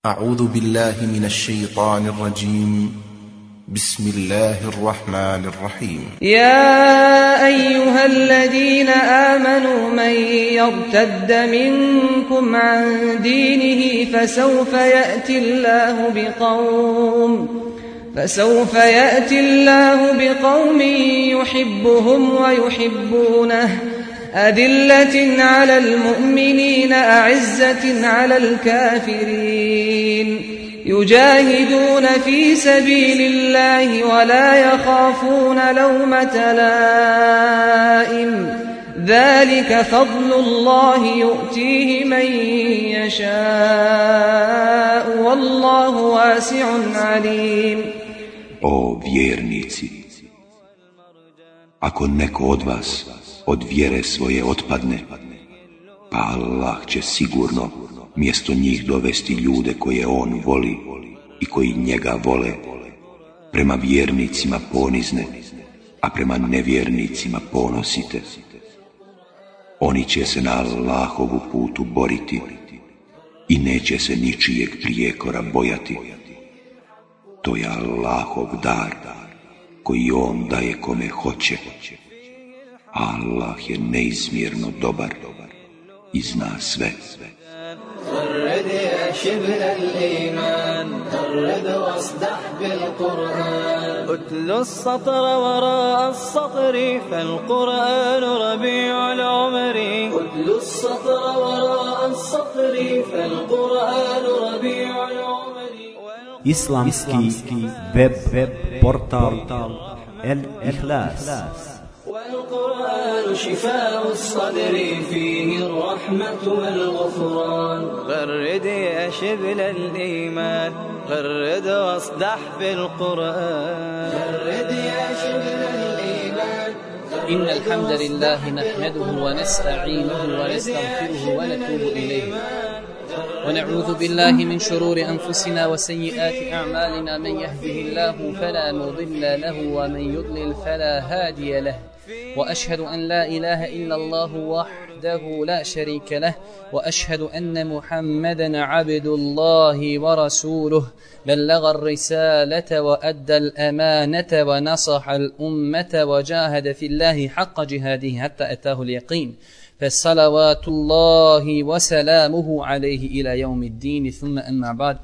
أعوذ بالله من الشيطان الرجيم بسم الله الرحمن الرحيم يا أيها الذين آمنوا من يرتد منكم عن دينه فسوف يأتي الله بقوم يحبهم ويحبونه أذلة على المؤمنين أعزة على الكافرين يجاهدون في سبيل الله ولا يخافون لومة لائم ذلك فضل الله يؤتيه من يشاء والله واسع عليم. O vjernici, ako neko od vas od vjere svoje otpadne, pa Allah će sigurno mjesto njih dovesti ljude koje on voli i koji njega vole, prema vjernicima ponizne, a prema nevjernicima ponosite. Oni će se na Allahovu putu boriti i neće se ničijeg prijekora bojati. To je Allahov dar koji on daje kome hoće. Allah je neizmjerno dobar i zna sve. غرد يا شبل الإيمان غرد واصدح بالقرآن أتل السطر وراء السطر فالقرآن ربيع العمر أتل السطر وراء السطر فالقرآن ربيع العمر Islamski web portal El Ikhlas. والقرآن شفاء الصدر فيه الرحمة والغفران غرد يا شبل الإيمان غرد واصدح في القرآن غرد يا شبل الإيمان إن الحمد لله نحمده ونستعينه ونستغفره ونتوب إليه ونعوذ بالله من شرور أنفسنا وسيئات أعمالنا من يهده الله فلا مضل له ومن يضلل فلا هادي له وأشهد أن لا إله إلا الله وحده لا شريك له وأشهد أن محمدا عبد الله ورسوله بلغ الرسالة وأدى الأمانة ونصح الأمة وجاهد في الله حق جهاده حتى أتاه اليقين فالصلوات الله وسلامه عليه إلى يوم الدين ثم أما بعد.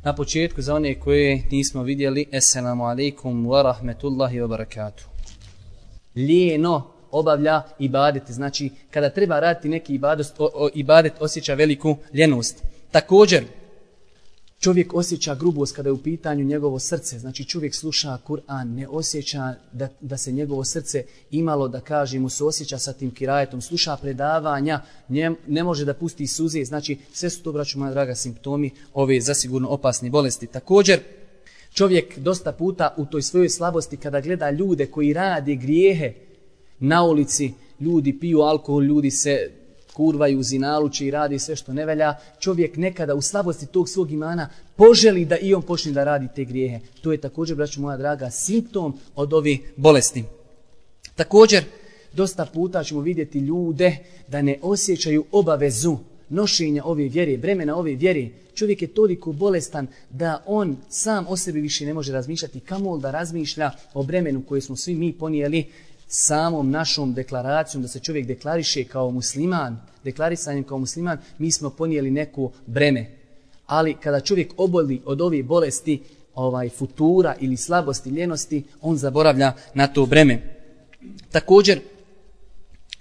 Na početku za one koje nismo vidjeli, assalamu alaikum wa rahmetullahi wa barakatuh. Lijeno obavlja ibadet, znači kada treba raditi neki ibadet osjeća veliku ljenost. Također čovjek osjeća grubost kada je u pitanju njegovo srce, znači čovjek sluša Kur'an, ne osjeća da se njegovo srce imalo, da kažemo, se osjeća sa tim kirajetom, sluša predavanja, ne može da pusti suze, znači sve su to, braćo moja draga, simptomi ove zasigurno opasne bolesti. Također čovjek dosta puta u toj svojoj slabosti kada gleda ljude koji rade grijehe na ulici, ljudi piju alkohol, ljudi se kurvaju, zinaluče i radi sve što ne velja, čovjek nekada u slabosti tog svog imana poželi da i on počne da radi te grijehe. To je također, braćo moja draga, simptom od ovih bolesti. Također, dosta puta ćemo vidjeti ljude da ne osjećaju obavezu nošenja ove vjere, bremena ove vjere. Čovjek je toliko bolestan da on sam o sebi više ne može razmišljati, kamoli da razmišlja o bremenu koje smo svi mi ponijeli samom našom deklaracijom, da se čovjek deklariše kao musliman, deklarisanjem kao musliman, mi smo ponijeli neko breme. Ali kada čovjek oboli od ove bolesti, futura ili slabosti, ljenosti, on zaboravlja na to breme. Također,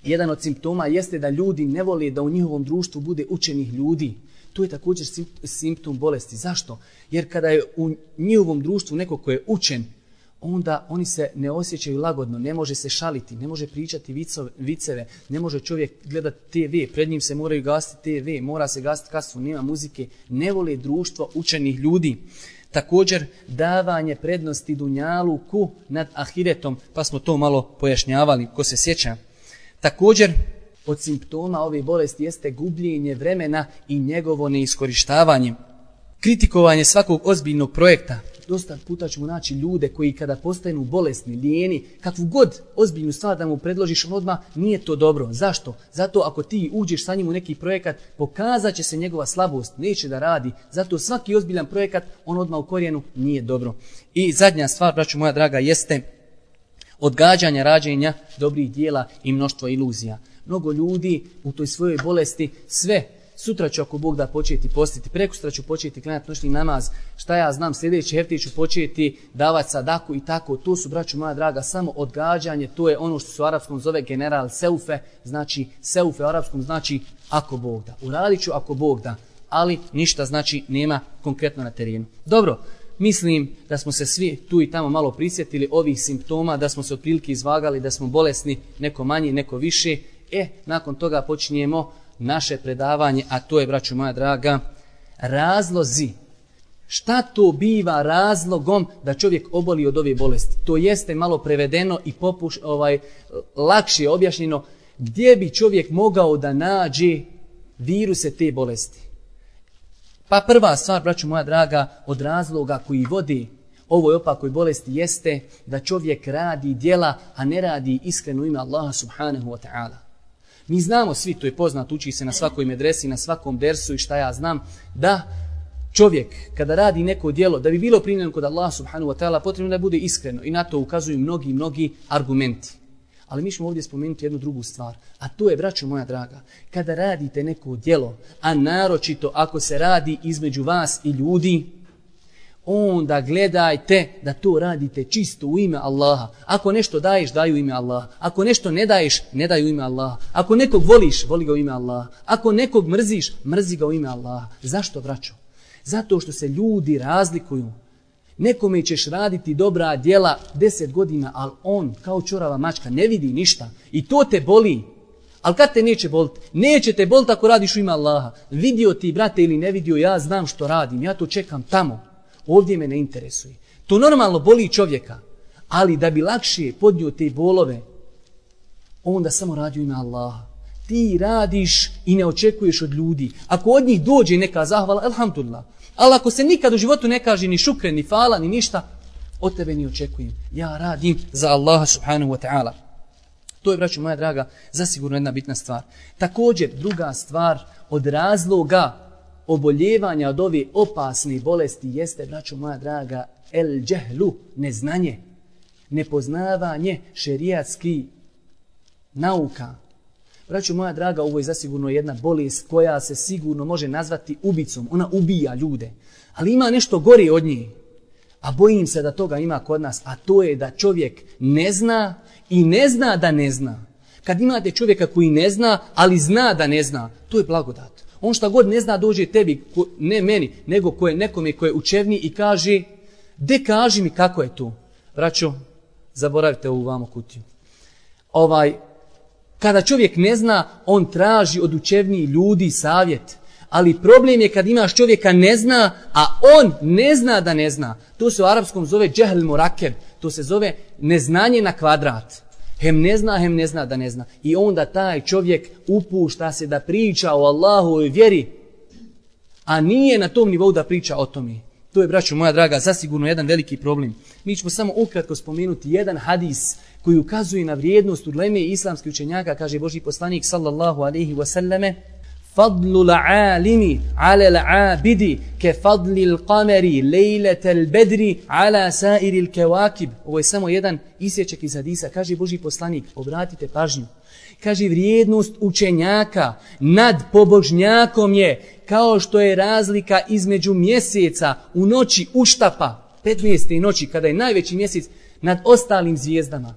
jedan od simptoma jeste da ljudi ne vole da u njihovom društvu bude učenih ljudi. To je također simptom bolesti. Zašto? Jer kada je u njihovom društvu neko ko je učen, onda oni se ne osjećaju lagodno, ne može se šaliti, ne može pričati viceve, ne može čovjek gledati TV, pred njim se moraju gasiti TV, mora se gasiti kasu, nema muzike, ne vole društvo učenih ljudi. Također, davanje prednosti dunjaluku nad ahiretom, pa smo to malo pojašnjavali, ko se sjeća. Također, od simptoma ove bolesti jeste gubljenje vremena i njegovo neiskorištavanje. Kritikovanje svakog ozbiljnog projekta, dosta puta ćemo naći ljude koji kada postanu bolesni, lijeni, kakvu god ozbiljnu stvar da mu predložiš, on odmah nije to dobro. Zašto? Zato ako ti uđeš sa njim u neki projekat, pokazat će se njegova slabost, neće da radi. Zato svaki ozbiljan projekat, on odmah u korijenu nije dobro. I zadnja stvar, braćo moja draga, jeste odgađanje rađenja dobrih dijela i mnoštvo iluzija. Mnogo ljudi u toj svojoj bolesti sve, sutra ću ako Bog da početi postiti, prekosutra ću početi klanjati noćni namaz, šta ja znam, sljedeći hefti ću početi davati sadaku i tako. To su, braćo moja draga, samo odgađanje, to je ono što se u arapskom zove general seufe, znači seufe u arapskom znači ako Bog da. Uradit ću ako Bog da, ali ništa znači nema konkretno na terenu. Dobro, mislim da smo se svi tu i tamo malo prisjetili ovih simptoma, da smo se otprilike izvagali, da smo bolesni, neko manji, neko više. Nakon toga počinjemo naše predavanje, a to je, braćo moja draga, razlozi. Šta to biva razlogom da čovjek oboli od ove bolesti? To jeste malo prevedeno i lakše objašnjeno gdje bi čovjek mogao da nađe viruse te bolesti. Pa prva stvar, braćo moja draga, od razloga koji vodi ovoj opakoj bolesti jeste da čovjek radi djela, a ne radi iskreno u ime Allaha subhanahu wa ta'ala. Mi znamo svi, to je poznat, uči se na svakoj medresi, na svakom dersu i šta ja znam, da čovjek kada radi neko djelo, da bi bilo primljeno kod Allaha subhanahu wa ta'ala, potrebno da bude iskreno i na to ukazuju mnogi argumenti. Ali mi ćemo ovdje spomenuti jednu drugu stvar, a to je, braćo moja draga, kada radite neko djelo, a naročito ako se radi između vas i ljudi, onda gledajte da to radite čisto u ime Allaha. Ako nešto daješ, daj u ime Allaha. Ako nešto ne daješ, ne daj u ime Allaha. Ako nekog voliš, voli ga u ime Allaha. Ako nekog mrziš, mrzi ga u ime Allaha. Zašto, braćo? Zato što se ljudi razlikuju. Nekome ćeš raditi dobra djela 10 godina, ali on kao čorava mačka ne vidi ništa. I to te boli. Ali kad te neće boliti? Neće te boliti ako radiš u ime Allaha. Vidio ti, brate, ili ne vidio, ja znam što radim. Ja to čekam tamo. Ovdje me ne interesuje. To normalno boli čovjeka. Ali da bi lakše podnio te bolove, onda samo radi u ime Allaha. Ti radiš i ne očekuješ od ljudi. Ako od njih dođe neka zahvala, alhamdulillah. Ali ako se nikad u životu ne kaže ni šukre, ni fala, ni ništa, od tebe ni očekujem. Ja radim za Allaha subhanahu wa ta'ala. To je, braćo moja draga, zasigurno jedna bitna stvar. Također, druga stvar od razloga oboljevanja od ove opasne bolesti jeste, braćo moja draga, el džehlu, neznanje, nepoznavanje šerijatskih nauka. Braćo moja draga, ovo je zasigurno jedna bolest koja se sigurno može nazvati ubicom. Ona ubija ljude. Ali ima nešto gore od nje. A bojim se da toga ima kod nas. A to je da čovjek ne zna i ne zna da ne zna. Kad imate čovjeka koji ne zna, ali zna da ne zna, to je blagodat. On šta god ne zna dođe tebi, ne meni, nego nekome ko je učevni i kaže, de kaži mi kako je to. Braćo, zaboravite ovu vamo kutiju. Kada čovjek ne zna, on traži od učevnijih ljudi savjet. Ali problem je kad imaš čovjeka ne zna, a on ne zna da ne zna. To se u arapskom zove džehl murakeb. To se zove neznanje na kvadrat. Hem ne zna da ne zna. I onda taj čovjek upušta se da priča o Allahovoj vjeri, a nije na tom nivou da priča o tome. To je, braćo moja draga, zasigurno jedan veliki problem. Mi ćemo samo ukratko spomenuti jedan hadis koji ukazuje na vrijednost uleme i islamskih učenjaka, kaže Božji poslanik sallallahu alejhi ve selleme: "Fadlu al-alimi 'ala al-'abidi ka fadli al-qamari lejlata al-badri 'ala sa'iri al-kawakib." Ovo je samo jedan isječak iz hadisa, kaže Božji poslanik, obratite pažnju. Kaže, vrijednost učenjaka nad pobožnjakom je kao što je razlika između mjeseca u noći uštapa, 15. noći, kada je najveći mjesec, nad ostalim zvijezdama.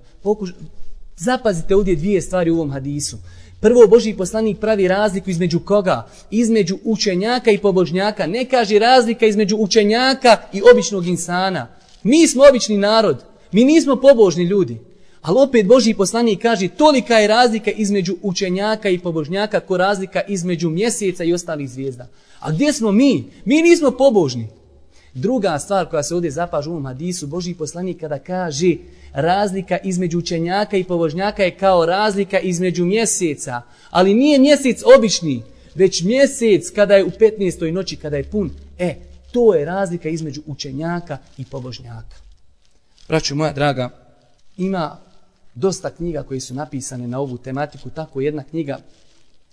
Zapazite ovdje dvije stvari u ovom hadisu. Prvo, Božji poslanik pravi razliku između koga? Između učenjaka i pobožnjaka. Ne kaže razlika između učenjaka i običnog insana. Mi smo obični narod. Mi nismo pobožni ljudi. Ali opet Božji poslanik kaže, tolika je razlika između učenjaka i pobožnjaka ko razlika između mjeseca i ostalih zvijezda. A gdje smo mi? Mi nismo pobožni. Druga stvar koja se ovdje zapaža u ovom hadisu, Božji poslanik kada kaže razlika između učenjaka i pobožnjaka je kao razlika između mjeseca. Ali nije mjesec obični, već mjesec kada je u 15. noći, kada je pun. To je razlika između učenjaka i pobožnjaka. Braćo moja draga, ima dosta knjiga koje su napisane na ovu tematiku. Tako jedna knjiga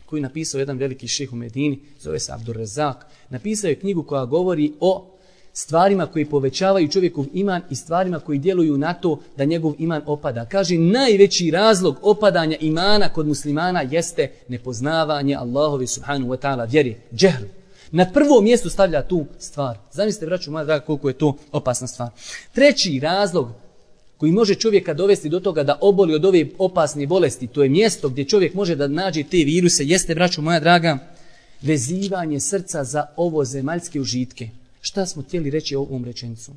koju je napisao jedan veliki šejh u Medini, zove se Abdurrazak, napisao je knjigu koja govori o stvarima koji povećavaju čovjekov iman i stvarima koji djeluju na to da njegov iman opada. Kaže, najveći razlog opadanja imana kod muslimana jeste nepoznavanje Allahove subhanahu wa ta'ala vjeri, džehl. Na prvo mjesto stavlja tu stvar. Zamislite, braćo moja draga, koliko je to opasna stvar. Treći razlog koji može čovjeka dovesti do toga da oboli od ove opasne bolesti, to je mjesto gdje čovjek može da nađe te viruse, jeste, braćo moja draga, vezivanje srca za ovo zemaljske užitke. Šta smo htjeli reći ovom rečenicom?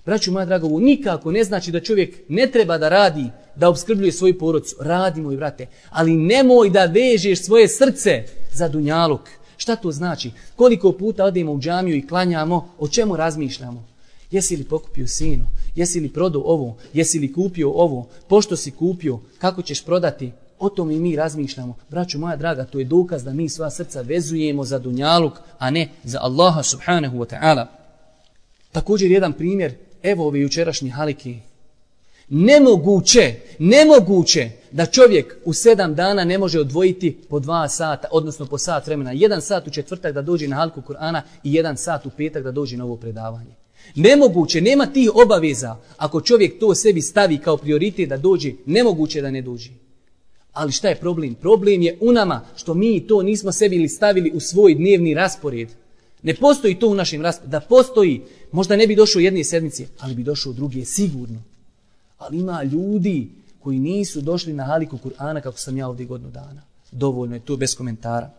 Braćo moja draga, ovo nikako ne znači da čovjek ne treba da radi, da obskrbljuje svoju porodicu. Radi, moj brate, ali nemoj da vežeš svoje srce za dunjaluk. Šta to znači? Koliko puta odemo u džamiju i klanjamo, o čemu razmišljamo? Jesi li pokupio sinu? Jesi li prodao ovo? Jesi li kupio ovo? Pošto si kupio? Kako ćeš prodati? O tome i mi razmišljamo. Braćo moja draga, to je dokaz da mi sva srca vezujemo za dunjaluk, a ne za Allaha subhanahu wa ta'ala. Također jedan primjer, evo ove jučerašnje halike. Nemoguće da čovjek u 7 dana ne može odvojiti po 2 sata, odnosno po sat vremena. 1 sat u četvrtak da dođe na halku Kur'ana i 1 sat u petak da dođe na ovo predavanje. Nemoguće, nema tih obaveza. Ako čovjek to sebi stavi kao prioritet da dođe, nemoguće da ne dođe. Ali šta je problem? Problem je u nama što mi to nismo sebi stavili u svoj dnevni raspored. Ne postoji to u našem rasporedu. Da postoji, možda ne bi došao jedne sedmice, ali bi došao druge sigurno. Ali ima ljudi koji nisu došli na haliku Kur'ana kako sam ja ovdje godinu dana. Dovoljno je to bez komentara.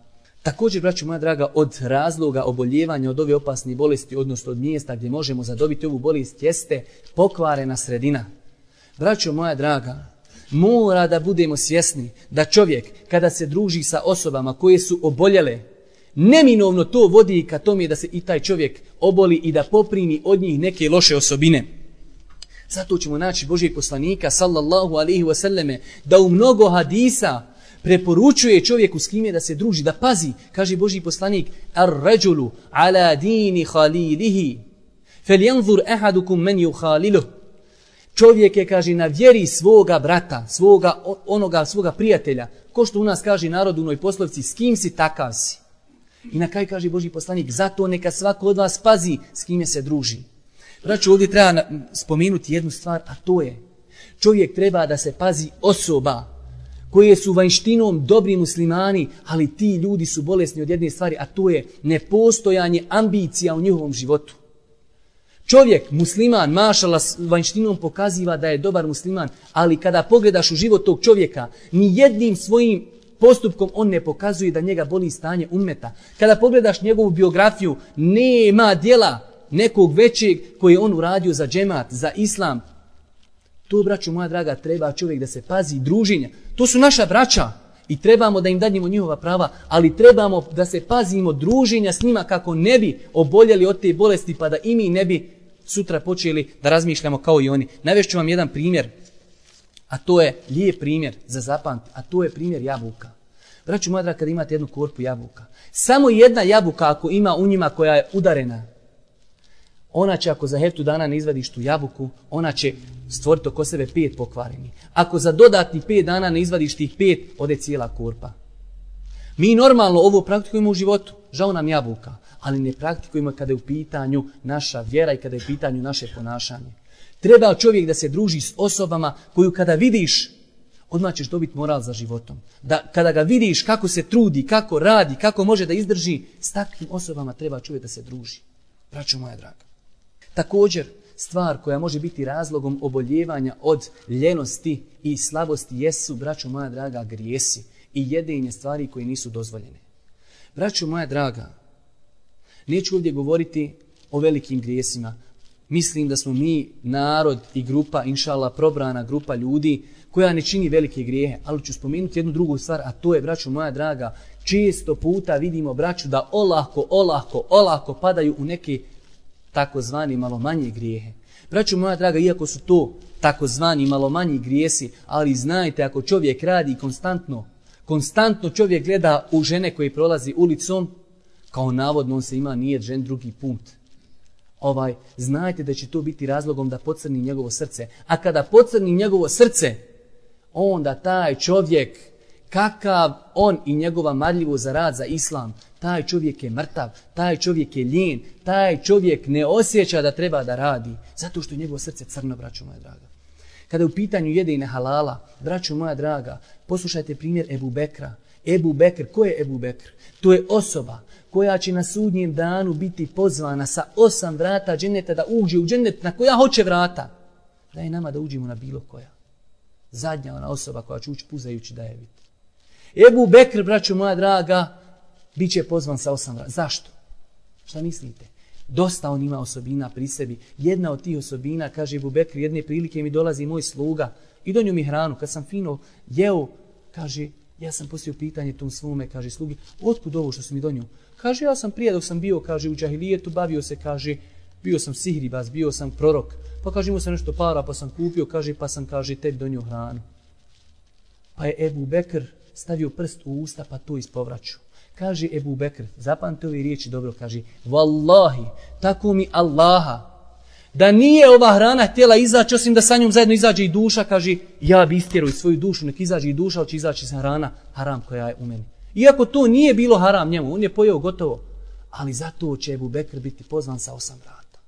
Također, braćo moja draga, od razloga oboljevanja od ove opasne bolesti, odnosno od mjesta gdje možemo zadobiti ovu bolest, jeste pokvarena sredina. Braćo moja draga, mora da budemo svjesni da čovjek kada se druži sa osobama koje su oboljele, neminovno to vodi ka tome da se i taj čovjek oboli i da poprimi od njih neke loše osobine. Zato ćemo naći Božijeg poslanika sallallahu alaihi wasallame da u mnogo hadisa preporučuje čovjeku s kime da se druži, da pazi. Kaže Božji poslanik, ar-rajulu ala dini khalilihi falyanzur ahadukum man yukhaliluh. Čovjek je, kaže, na vjeri svoga brata, svoga prijatelja. Ko što u nas kaže narod u onoj poslovici, s kim si takav si. I na kraju kaže Božji poslanik, zato neka svako od vas pazi s kime se druži. Braćo, ovdje treba spomenuti jednu stvar, a to je, čovjek treba da se pazi osoba koje su vanjštinom dobri muslimani, ali ti ljudi su bolesni od jedne stvari, a to je nepostojanje ambicija u njihovom životu. Čovjek, musliman, mašala, vanjštinom pokaziva da je dobar musliman, ali kada pogledaš u život tog čovjeka, ni jednim svojim postupkom on ne pokazuje da njega boli stanje ummeta. Kada pogledaš njegovu biografiju, nema djela nekog većeg koji je on uradio za džemat, za islam. To, braćo moja draga, treba čovjek da se pazi druženja. To su naša braća i trebamo da im dadnemo njihova prava, ali trebamo da se pazimo druženja s njima kako ne bi oboljeli od te bolesti, pa da i mi ne bi sutra počeli da razmišljamo kao i oni. Navešću vam jedan primjer, a to je lijep primjer za zapamtiti, a to je primjer jabuka. Braćo moja draga, kada imate jednu korpu jabuka, samo jedna jabuka ako ima u njima koja je udarena, ona će, ako za heftu dana ne izvadiš tu jabuku, ona će stvoriti oko sebe 5 pokvareni. Ako za dodatnih 5 dana ne izvadiš tih 5, ode cijela korpa. Mi normalno ovo praktikujemo u životu, žao nam jabuka, ali ne praktikujemo kada je u pitanju naša vjera i kada je u pitanju naše ponašanje. Treba čovjek da se druži s osobama koju kada vidiš, odmah ćeš dobiti moral za životom. Da kada ga vidiš kako se trudi, kako radi, kako može da izdrži, s takvim osobama treba čovjek da se druži. Braćo moja draga. Također, stvar koja može biti razlogom oboljevanja od ljenosti i slabosti jesu, braćo moja draga, grijesi i jedenje stvari koje nisu dozvoljene. Braćo moja draga, neću ovdje govoriti o velikim grijesima. Mislim da smo mi narod i grupa, inšallah, probrana grupa ljudi koja ne čini velike grijehe, ali ću spomenuti jednu drugu stvar, a to je, braćo moja draga, često puta vidimo, braću, da olako padaju u neke takozvani malo manje grijehe. Braćo moja draga, iako su to takozvani malo manji grijesi, ali znajte, ako čovjek radi konstantno čovjek gleda u žene koje prolazi ulicom, kao navodno on se ima nijet žen drugi put. znajte da će to biti razlogom da pocrni njegovo srce. A kada pocrni njegovo srce, onda taj čovjek, kakav on i njegova marljivost za rad za islam, taj čovjek je mrtav, taj čovjek je lijen, taj čovjek ne osjeća da treba da radi, zato što je njegovo srce crno, braćo moja draga. Kada je u pitanju jedenje halala, braćo moja draga, poslušajte primjer Ebu Bekra. Ebu Bekr, ko je Ebu Bekr? To je osoba koja će na sudnjem danu biti pozvana sa 8 vrata dženeta da uđe u dženet na koja hoće vrata. Daj nama da uđemo na bilo koja. Zadnja ona osoba koja će ući puzajući da je vidi. Ebu Bekr, braćo moja draga, bit će pozvan sa 8 vrata. Zašto? Šta mislite? Dosta on ima osobina pri sebi. Jedna od tih osobina, kaže Ebu Bekr, jedne prilike mi dolazi moj sluga i donio mi hranu. Kad sam fino jeo, kaže, ja sam postavio pitanje tom svome, kaže slugi, otkud ovo što si mi donio? Kaže, ja sam prije dok sam bio, kaže, u džahilijetu, bavio se, kaže, bio sam sihribaz, bio sam prorok. Pa kaže, imao sam nešto para, pa sam kupio, kaže, pa sam, kaže, tebi donio hranu. Pa je Ebu Bekr stavio prst u usta, pa to ispovraću. Kaže Ebu Bekr, zapamte ove riječi dobro, kaže, Wallahi, tako mi Allaha, da nije ova hrana htjela izaći, osim da sa njom zajedno izađe i duša, kaže, ja bi istjerao svoju dušu, nek izađe i duša, ali će izaći sa hrana, haram koja je u meni. Iako to nije bilo haram njemu, on je pojeo gotovo, ali zato će Ebu Bekr biti pozvan sa 8 vrata.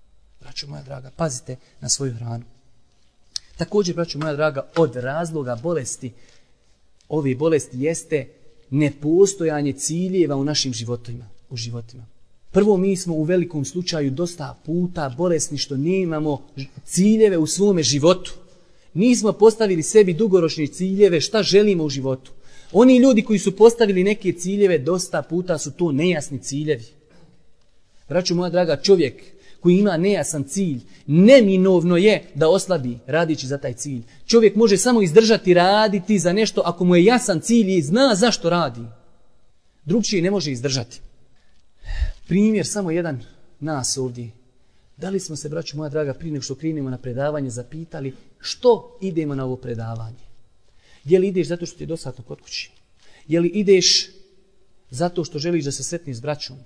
Braćo moja draga, pazite na svoju hranu. Također, braćo moja draga, od razloga bolesti, ove bolesti jeste nepostojanje ciljeva u našim životima. Prvo, mi smo u velikom slučaju dosta puta bolesni što nemamo ciljeve u svome životu. Nismo postavili sebi dugoročne ciljeve šta želimo u životu. Oni ljudi koji su postavili neke ciljeve, dosta puta su to nejasni ciljevi. Braćo moja draga, čovjek koji ima nejasan cilj, neminovno je da oslabi radići za taj cilj. Čovjek može samo izdržati raditi za nešto ako mu je jasan cilj i zna zašto radi. Drugčije ne može izdržati. Primjer, samo jedan nas ovdje. Da li smo se, braćo moja draga, prije nego što krenemo na predavanje, zapitali što idemo na ovo predavanje? Je li ideš zato što ti je dosadno kod kući? Je li ideš zato što želiš da se sretniš s braćom?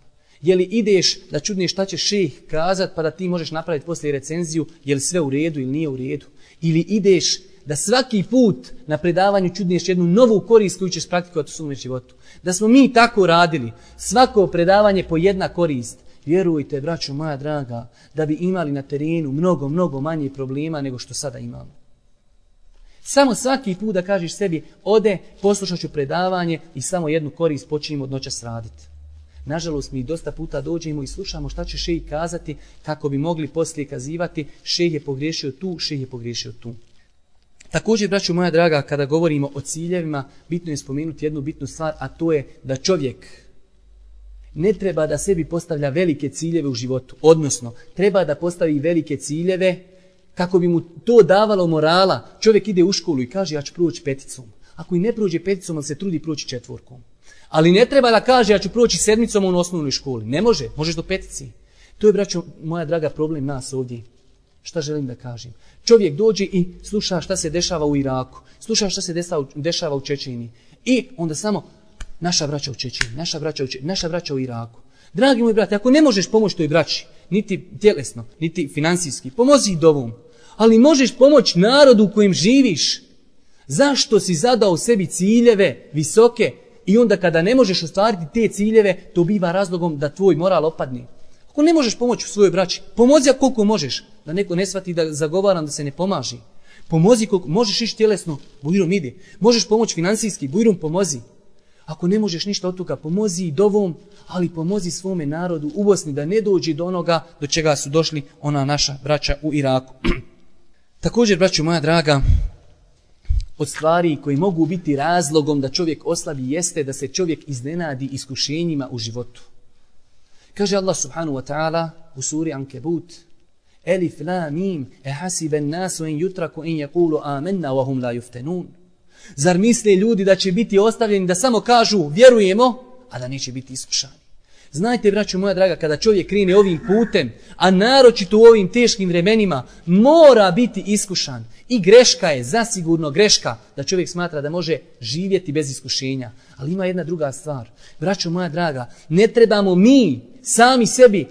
Je li ideš da čudneš šta će šejh kazat pa da ti možeš napraviti poslije recenziju je li sve u redu ili nije u redu? Ili ideš da svaki put na predavanju čudneš jednu novu korist koju ćeš praktikovati u svom životu? Da smo mi tako radili, svako predavanje po jedna korist, vjerujte, braćo moja draga, da bi imali na terenu mnogo manje problema nego što sada imamo. Samo svaki put da kažeš sebi, ode, poslušat ću predavanje i samo jednu korist počinimo od noćas raditi. Nažalost, mi dosta puta dođemo i slušamo šta će šejh kazati kako bi mogli poslije kazivati šejh je pogriješio tu, šejh je pogriješio tu. Također, braćo moja draga, kada govorimo o ciljevima, bitno je spomenuti jednu bitnu stvar, a to je da čovjek ne treba da sebi postavlja velike ciljeve u životu. Odnosno, treba da postavi velike ciljeve kako bi mu to davalo morala. Čovjek ide u školu i kaže ja ću proći 5. Ako i ne prođe 5, on se trudi proći 4. Ali ne treba da kaže ja ću proći 7 u osnovnoj školi. Ne može, možeš do 5. To je, braćo moja draga, problem nas ovdje. Šta želim da kažem? Čovjek dođe i sluša šta se dešava u Iraku, sluša šta se dešava u Čečeniji i onda samo naša braća u Čečeniji, naša braća u Iraku. Dragi moji brate, ako ne možeš pomoći toj braći, niti tjelesno, niti finansijski, pomozi i dovom. Ali možeš pomoći narodu u kojem živiš. Zašto si zadao sebi ciljeve visoke i onda kada ne možeš ostvariti te ciljeve, to biva razlogom da tvoj moral opadne. Ako ne možeš pomoći u svojoj braći, pomozi koliko možeš, da neko ne shvati da zagovaram da se ne pomaži. Pomozi koliko možeš ići tjelesno, bujrom ide. Možeš pomoći finansijski, bujrom pomozi. Ako ne možeš ništa od toga, pomozi i dovom, ali pomozi svome narodu u Bosni da ne dođe do onoga do čega su došli ona naša braća u Iraku. Također, braćo moja draga, od stvari koji mogu biti razlogom da čovjek oslabi jeste da se čovjek iznenadi iskušenjima u životu. Kaže Allah subhanahu wa ta'ala u suri Ankebut, Elif la mim hasiben nasu en yutraku en yaqulu amanna wa hum la yuftanun. Zar misle ljudi da će biti ostavljeni da samo kažu vjerujemo, a da neće biti iskušani? Znajte, braćo moja draga, kada čovjek krene ovim putem, a naročito u ovim teškim vremenima, mora biti iskušan. I greška je, zasigurno greška, da čovjek smatra da može živjeti bez iskušenja. Ali ima jedna druga stvar. Braćo moja draga, ne trebamo mi sami sebi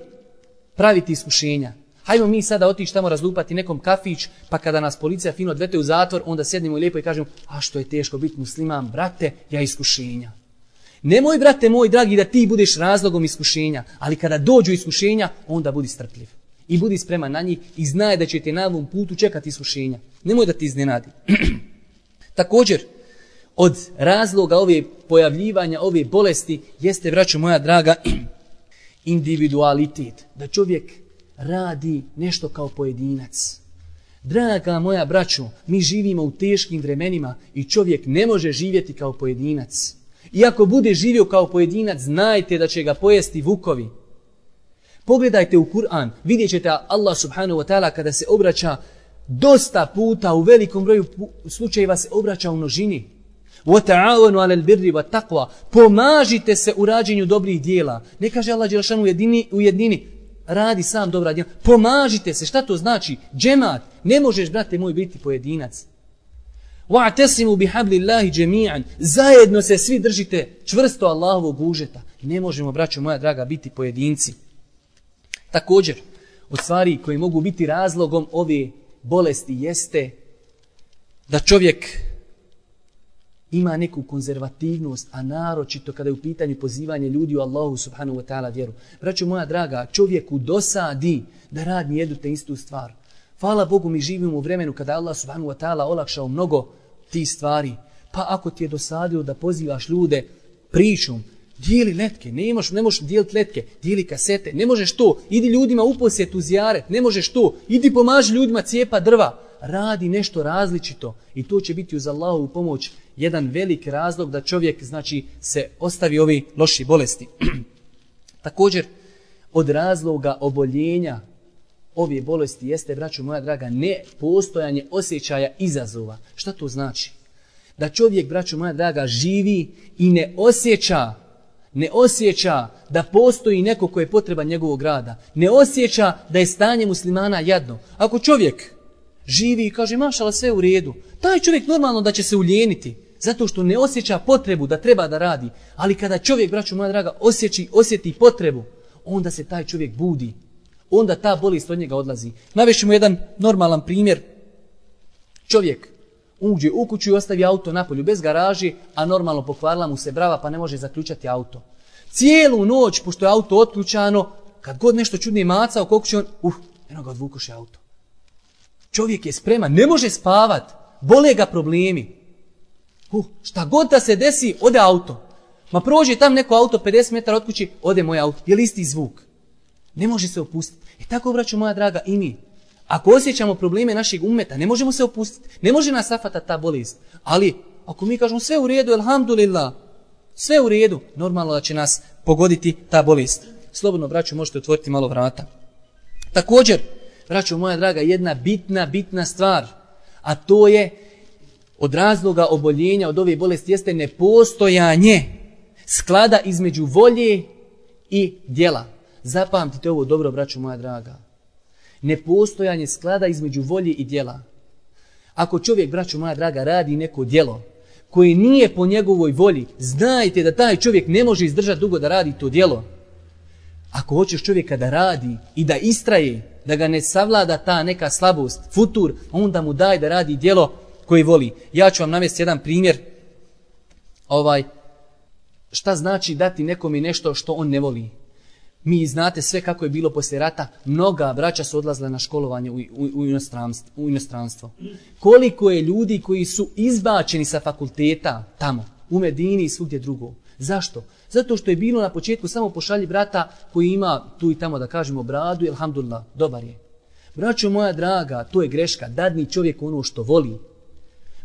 praviti iskušenja. Hajmo mi sada otići tamo razlupati nekom kafić, pa kada nas policija fino odvete u zatvor, onda sjednemo i lijepo i kažemo, a što je teško biti musliman, brate, ja iskušenja. Nemoj, brate moj dragi, da ti budeš razlogom iskušenja, ali kada dođu iskušenja, onda budi strpljiv. I budi spreman na njih i znaj da će te na ovom putu čekati iskušenja. Nemoj da ti iznenadi. Također, od razloga ove pojavljivanja, ove bolesti, jeste, braćo moja draga, individualitet. Da čovjek radi nešto kao pojedinac. Draga moja braćo, mi živimo u teškim vremenima i čovjek ne može živjeti kao pojedinac. I ako bude živio kao pojedinac, znajte da će ga pojesti vukovi. Pogledajte u Kur'an, vidjet ćete Allah subhanahu wa ta'ala kada se obraća dosta puta, u velikom broju slučajeva se obraća u množini. وَتَعَوَنُوا عَلَى الْبِرِّ وَالتَّقْوَى Pomažite se u rađenju dobrih dijela. Ne kaže Allah dželešanu u jednini, radi sam dobra djela. Pomažite se, šta to znači? Džemat, ne možeš, brate moj, biti pojedinac. وَاعْتَسِمُوا بِحَبْلِ اللَّهِ جَمِيعًا Zajedno se svi držite čvrsto Allahovog užeta. Ne možemo, braćo moja draga, biti pojedinci. Također, od stvari koje mogu biti razlogom ove bolesti jeste da čovjek ima neku konzervativnost, a naročito kada je u pitanju pozivanje ljudi u Allahu subhanahu wa ta'ala vjeru. Braćo moja draga, čovjeku dosadi da radi jednu te istu stvar. Hvala Bogu, mi živimo u vremenu kada Allah subhanahu wa ta'ala olakšao mnogo tih stvari. Pa ako ti je dosadilo da pozivaš ljude pričom, dijeli letke, ne možeš dijeliti letke, dijeli kasete, ne možeš to, idi ljudima u posjet, u zijaret, ne možeš to, idi pomaži ljudima cijepa drva, radi nešto različito i to će biti uz Allahovu pomoć jedan velik razlog da čovjek, znači, se ostavi ovi loši bolesti. Također, od razloga oboljenja ove bolesti jeste, braćo moja draga, nepostojanje osjećaja izazova. Šta to znači? Da čovjek, braćo moja draga, živi i ne osjeća da postoji neko ko je potreban njegovog rada. Ne osjeća da je stanje muslimana jadno. Ako čovjek živi i kaže, mašala, sve u redu, taj čovjek normalno da će se uljeniti, zato što ne osjeća potrebu da treba da radi. Ali kada čovjek, braćo moja draga, osjeti potrebu, onda se taj čovjek budi. Onda ta bolest od njega odlazi. Navešćemo jedan normalan primjer. Čovjek uđe u kuću i ostavi auto napolju bez garaži, a normalno pokvarila mu se brava pa ne može zaključati auto. Cijelu noć, pošto je auto otključano, kad god nešto čudnije maca oko kuće, eno ga odvukoše auto. Čovjek je spreman, ne može spavat, bole ga problemi. Šta god da se desi, ode auto. Ma prođe tam neko auto 50 metara od kući, ode moj auto. Je li isti zvuk? Ne može se opustiti. I tako, braćo moja draga, i mi. Ako osjećamo probleme našeg ummeta, ne možemo se opustiti. Ne može nas safatati ta bolest. Ali, ako mi kažemo sve u redu, elhamdulillah, sve u redu, normalno da će nas pogoditi ta bolest. Slobodno, braćo, možete otvoriti malo vrata. Također, braćo moja draga, jedna bitna stvar, a to je od razloga oboljenja od ove bolesti jeste nepostojanje sklada između volje i djela. Zapamtite ovo dobro, braćo moja draga. Nepostojanje sklada između volje i djela. Ako čovjek, braćo moja draga, radi neko djelo koje nije po njegovoj volji, znajte da taj čovjek ne može izdržati dugo da radi to djelo. Ako hoćeš čovjeka da radi i da istraje, da ga ne savlada ta neka slabost, futur, onda mu daj da radi djelo koje voli. Ja ću vam navesti jedan primjer. Šta znači dati nekome nešto što on ne voli? Mi znate sve kako je bilo poslije rata. Mnoga braća su odlazila na školovanje u inostranstvo. Koliko je ljudi koji su izbačeni sa fakulteta tamo, u Medini i svugdje drugo. Zašto? Zato što je bilo na početku samo pošalji brata koji ima tu i tamo, da kažemo, bradu i alhamdulillah, dobar je. Braćo moja draga, to je greška. Dadni čovjek ono što voli.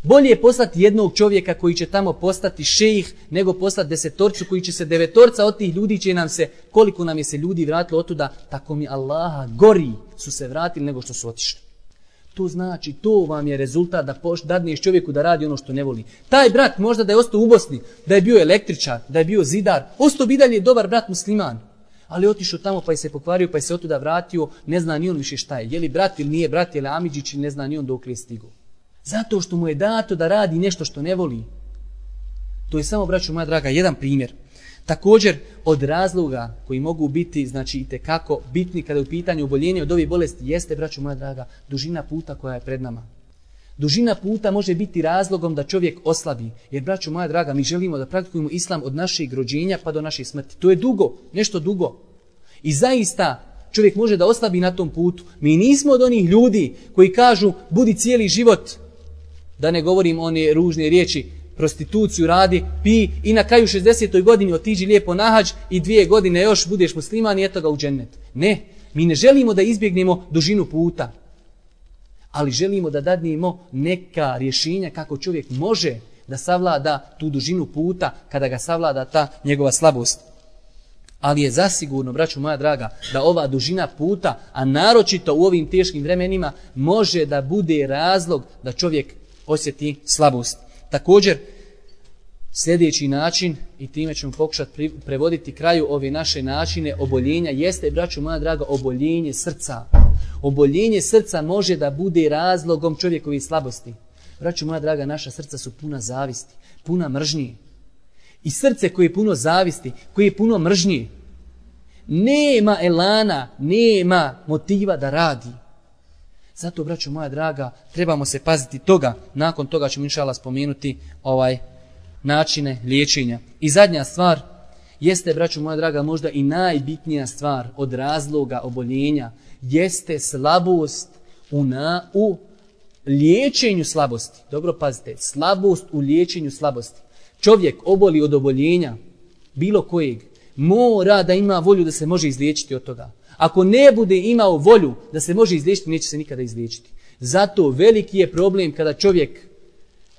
Bolje je poslati jednog čovjeka koji će tamo postati šejih, nego poslati 10 koji će se 9 od tih ljudi će nam se, koliko nam je se ljudi vratilo otuda, tako mi Allaha gori su se vratili nego što su otišli. To znači, to vam je rezultat da dadneš čovjeku da radi ono što ne voli. Taj brat možda da je ostao u Bosni, da je bio električar, da je bio zidar, ostao bi dalje dobar brat musliman. Ali otišao tamo pa je se pokvario, pa je se otuda vratio, ne zna ni on više šta je. Je li brat ili nije brat, je li Amidžić, ne zna ni on dok je stigao. Zato što mu je dato da radi nešto što ne voli. To je samo, braćo moja draga, jedan primjer. Također, od razloga koji mogu biti, znači itekako bitni kada je u pitanju oboljenja od ove bolesti, jeste, braćo moja draga, dužina puta koja je pred nama. Dužina puta može biti razlogom da čovjek oslabi. Jer, braćo moja draga, mi želimo da praktikujemo islam od našeg rođenja pa do naše smrti. To je dugo, nešto dugo. I zaista čovjek može da oslabi na tom putu. Mi nismo od onih ljudi koji kažu budi cijeli život, da ne govorim one ružne riječi, prostituciju radi, pi i na kraju 60. godini otiđi lijepo na hadž i 2 godine još budeš musliman i eto ga u džennet. Ne, mi ne želimo da izbjegnemo dužinu puta, ali želimo da dadnemo neka rješenja kako čovjek može da savlada tu dužinu puta kada ga savlada ta njegova slabost. Ali je zasigurno, braćo moja draga, da ova dužina puta, a naročito u ovim teškim vremenima, može da bude razlog da čovjek osjeti slabost. Također, sljedeći način, i time ćemo pokušati prevoditi kraju ove naše načine oboljenja, jeste, braćo moja draga, oboljenje srca. Oboljenje srca može da bude razlogom čovjekovih slabosti. Braćo moja draga, naša srca su puna zavisti, puna mržnje. I srce koje je puno zavisti, koje je puno mržnje, nema elana, nema motiva da radi. Zato, braćo moja draga, trebamo se paziti toga. Nakon toga ćemo inšallah spomenuti načine liječenja. I zadnja stvar jeste, braćo moja draga, možda i najbitnija stvar od razloga oboljenja, jeste slabost u liječenju slabosti. Dobro pazite, slabost u liječenju slabosti. Čovjek oboli od oboljenja, bilo kojeg, mora da ima volju da se može izliječiti od toga. Ako ne bude imao volju da se može izliječiti, neće se nikada izliječiti. Zato veliki je problem kada čovjek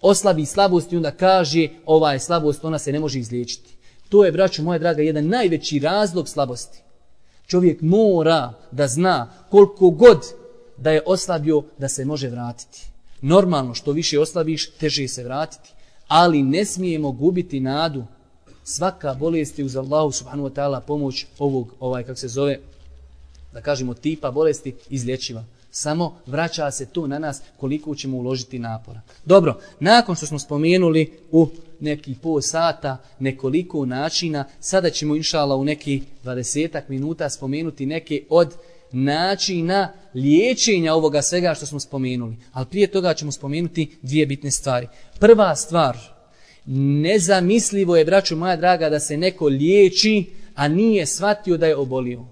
oslabi slabost i onda kaže ova je slabost, ona se ne može izliječiti. To je, braćo moja draga, jedan najveći razlog slabosti. Čovjek mora da zna koliko god da je oslabio da se može vratiti. Normalno, što više oslabiš, teže se vratiti. Ali ne smijemo gubiti nadu. Svaka bolest je uz Allahu subhanahu wa ta'ala pomoć ovog, da kažemo, tipa bolesti izlječiva. Samo vraća se to na nas koliko ćemo uložiti napora. Dobro, nakon što smo spomenuli u neki pol sata nekoliko načina, sada ćemo inšallah u neki 20 minuta spomenuti neke od načina liječenja ovoga svega što smo spomenuli. Ali prije toga ćemo spomenuti 2 bitne stvari. Prva stvar, nezamislivo je, braćo moja draga, da se neko liječi, a nije shvatio da je obolio.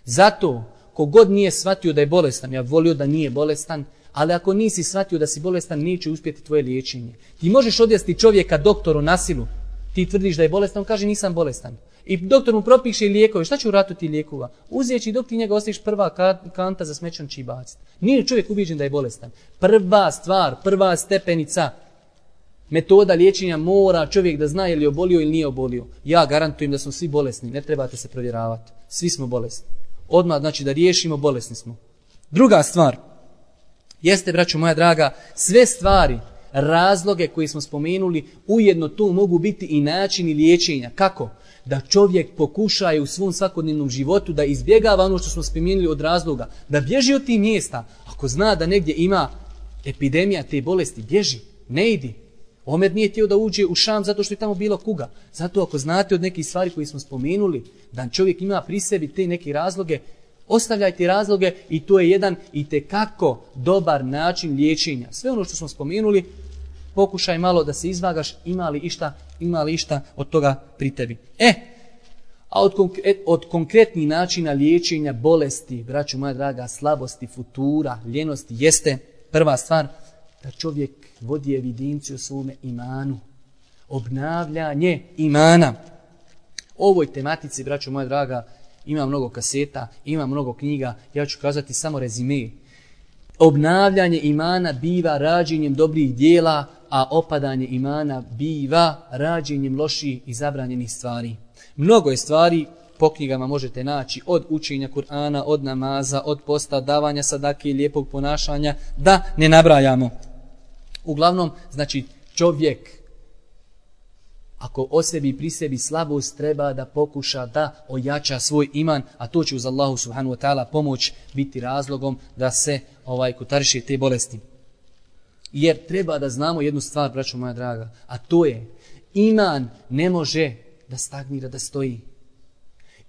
Zato, kogod nije shvatio da je bolestan, ja volio da nije bolestan, ali ako nisi shvatio da si bolestan, neće uspjeti tvoje liječenje. Ti možeš odvesti čovjeka doktoru na silu, ti tvrdiš da je bolestan, on kaže nisam bolestan. I doktor mu propiše lijekove, šta će uratu ti lijekova? Uzijeći dok ti njega ostaviš prva kanta za smećan će i baciti. Nije čovjek ubijeđen da je bolestan. Prva stvar, prva stepenica, metoda liječenja mora čovjek da zna je li obolio ili nije obolio. Ja garantujem da smo svi bolesni, ne trebate se provjeravati. Svi smo bolesni. Odmah znači da riješimo, bolesni smo. Druga stvar, jeste, braćo moja draga, sve stvari, razloge koje smo spomenuli, ujedno tu mogu biti i načini liječenja. Kako? Da čovjek pokušaje u svom svakodnevnom životu da izbjegava ono što smo spomenuli od razloga, da bježi od tih mjesta. Ako zna da negdje ima epidemija te bolesti, bježi, ne idi. Omer nije htio da uđe u Šam zato što je tamo bilo kuga. Zato ako znate od nekih stvari koje smo spomenuli, da čovjek ima pri sebi te neke razloge, ostavljajte razloge i to je jedan itekako dobar način liječenja. Sve ono što smo spomenuli, pokušaj malo da se izvagaš, ima li išta od toga pri tebi. A od konkretnih načina liječenja bolesti, braćo moja draga, slabosti, futura, ljenosti, jeste prva stvar da čovjek vodi evidenciju o svome imanu. Obnavljanje imana. O ovoj tematici, braćo moja draga, ima mnogo kaseta, ima mnogo knjiga, ja ću kazati samo rezime. Obnavljanje imana biva rađenjem dobrih dijela, a opadanje imana biva rađenjem loših i zabranjenih stvari. Mnogo je stvari, po knjigama možete naći, od učenja Kur'ana, od namaza, od posta, davanja sadake i lijepog ponašanja, da ne nabrajamo. Uglavnom, znači čovjek, ako o sebi i pri sebi slabost, treba da pokuša da ojača svoj iman, a to će uz Allahu subhanahu wa ta'ala pomoć biti razlogom da se kotariše te bolesti. Jer treba da znamo jednu stvar, braćo moja draga, a to je, iman ne može da stagnira, da stoji.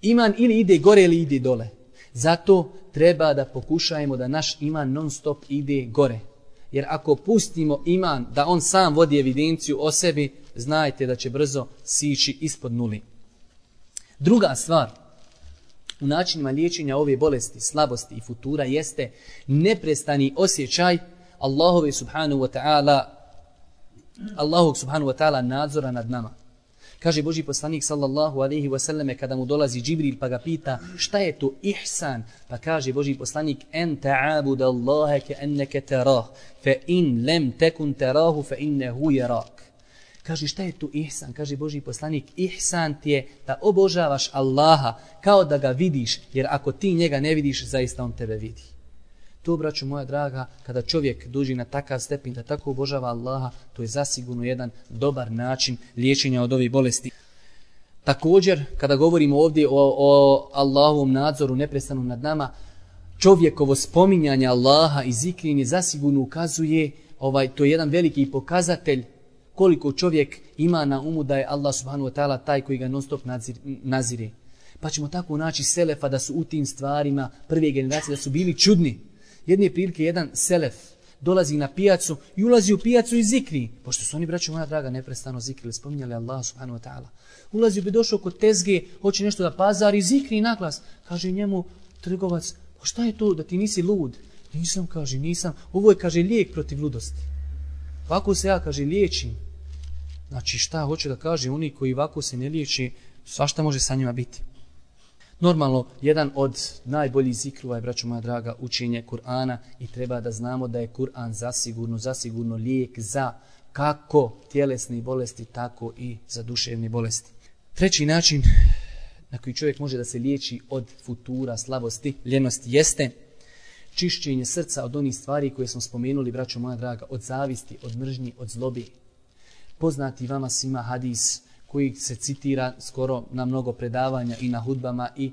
Iman ili ide gore ili ide dole. Zato treba da pokušajemo da naš iman non stop ide gore. Jer ako pustimo iman da on sam vodi evidenciju o sebi, znajte da će brzo sići ispod nuli. Druga stvar u načinima liječenja ove bolesti, slabosti i futura jeste neprestani osjećaj Allahove subhanahu wa ta'ala nadzora nad nama. Kaže Božji poslanik sallallahu alejhi ve selleme kada mu dolazi Džibril pa ga pita šta je to ihsan, pa kaže Božji poslanik en ta'abud Allaha ka'annaka tarah fa in lam takun tarahu fa innahu yarak. Kaže šta je to ihsan? Kaže Božji poslanik ihsan ti je da obožavaš Allaha kao da ga vidiš, jer ako ti njega ne vidiš, zaista on tebe vidi. To, braćo moja draga, kada čovjek dođe na takav stepen da tako obožava Allaha, to je zasigurno jedan dobar način liječenja od ove bolesti. Također, kada govorimo ovdje o Allahovom nadzoru neprestanom nad nama, čovjekovo spominjanje Allaha i zikrenje zasigurno ukazuje, to je jedan veliki pokazatelj koliko čovjek ima na umu da je Allah subhanahu wa ta'ala taj koji ga non stop nazire. Pa ćemo tako naći selefa da su u tim stvarima prve generacije, da su bili čudni. Jedne prilike jedan selef dolazi na pijacu i ulazi u pijacu i zikri. Pošto su oni, braćo moja draga, neprestano zikrili, spominjali Allah subhanahu wa ta'ala. Ulazi bi došao kod tezge, hoće nešto da pazari, zikri naglas. Kaže njemu trgovac, pa šta je to da ti nisi lud? Nisam, kaže, nisam. Ovo je, kaže, lijek protiv ludosti. Ovako se ja, kaže, liječim. Znači šta hoće da kaže, oni koji ovako se ne liječi, svašta može sa njima biti. Normalno, jedan od najboljih zikrova je, braćo moja draga, učenje Kur'ana i treba da znamo da je Kur'an zasigurno lijek za kako tjelesne bolesti, tako i za duševne bolesti. Treći način na koji čovjek može da se liječi od futura, slabosti, ljenosti jeste čišćenje srca od onih stvari koje smo spomenuli, braćo moja draga, od zavisti, od mržnji, od zlobi. Poznati vama svima hadis koji se citira skoro na mnogo predavanja i na hudbama i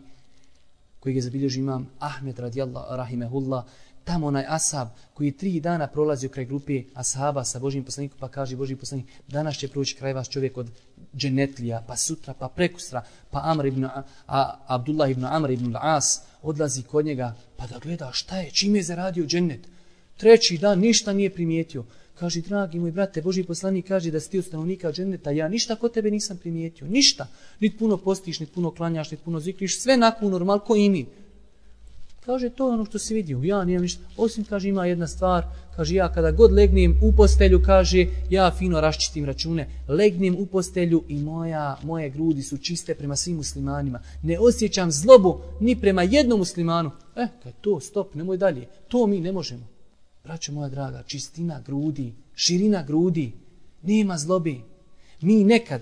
koji je zabilježio imam Ahmed radijallahu rahimehullah, tamo onaj ashab koji 3 dana prolazio kraj grupe ashaba sa Božjim poslanikom, pa kaže Božji poslanik, danas će proći kraj vas čovjek od dženetlija, pa sutra, pa prekustra, pa Abdullah ibn Amr ibn al-As odlazi kod njega, pa da gleda šta je, čime je zaradio džennet. 3. dan ništa nije primijetio. Kaže, dragi moj brate, Božji poslanik kaže da si ti od stanovnika dženneta, ja ništa kod tebe nisam primijetio, ništa. Niti puno postiš, niti puno klanjaš, niti puno zikriš, sve nakon normal, ko i mi. Kaže, to je ono što si vidio, ja nijem ništa. Osim, kaže, ima jedna stvar, kaže, ja kada god legnem u postelju, kaže, ja fino raščitim račune, legnem u postelju i moje grudi su čiste prema svim muslimanima. Ne osjećam zlobu ni prema jednom muslimanu. Kaj to, stop, nemoj dalje, to mi ne možemo. Braćo moja draga, čistina grudi, širina grudi, nema zlobe. Mi nekad,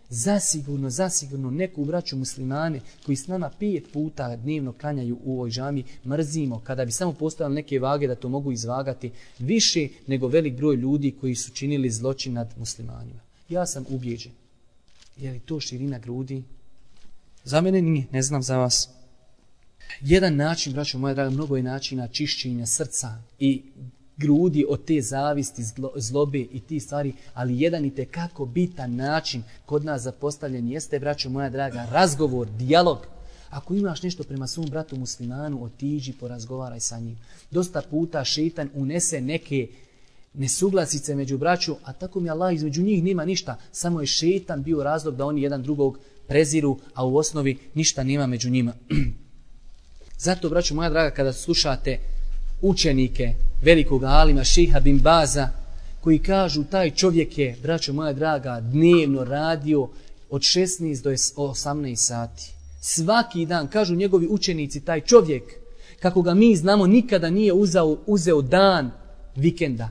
zasigurno neku braću muslimane koji s nama 5 puta dnevno klanjaju u ovoj džami, mrzimo kada bi samo postavili neke vage da to mogu izvagati više nego velik broj ljudi koji su činili zločin nad muslimanima. Ja sam ubijeđen. Je li to širina grudi? Za mene nije, ne znam za vas. Jedan način, braćo moja draga, mnogo je načina čišćenja srca i grudi od te zavisti, zlobe i ti stvari, ali jedan i tekako bitan način kod nas zapostavljen jeste, braćo moja draga, razgovor, dijalog. Ako imaš nešto prema svom bratu muslimanu, otiđi, porazgovaraj sa njim. Dosta puta šeitan unese neke nesuglasice među braću, a tako mi Allah između njih nema ništa. Samo je šeitan bio razlog da oni jedan drugog preziru, a u osnovi ništa nema među njima. Zato, braćo moja draga, kada slušate učenike velikog alima Šejha bin Baza koji kažu taj čovjek je, braćo moja draga, dnevno radio od 16 do 18 sati. Svaki dan, kažu njegovi učenici, taj čovjek, kako ga mi znamo, nikada nije uzeo dan vikenda.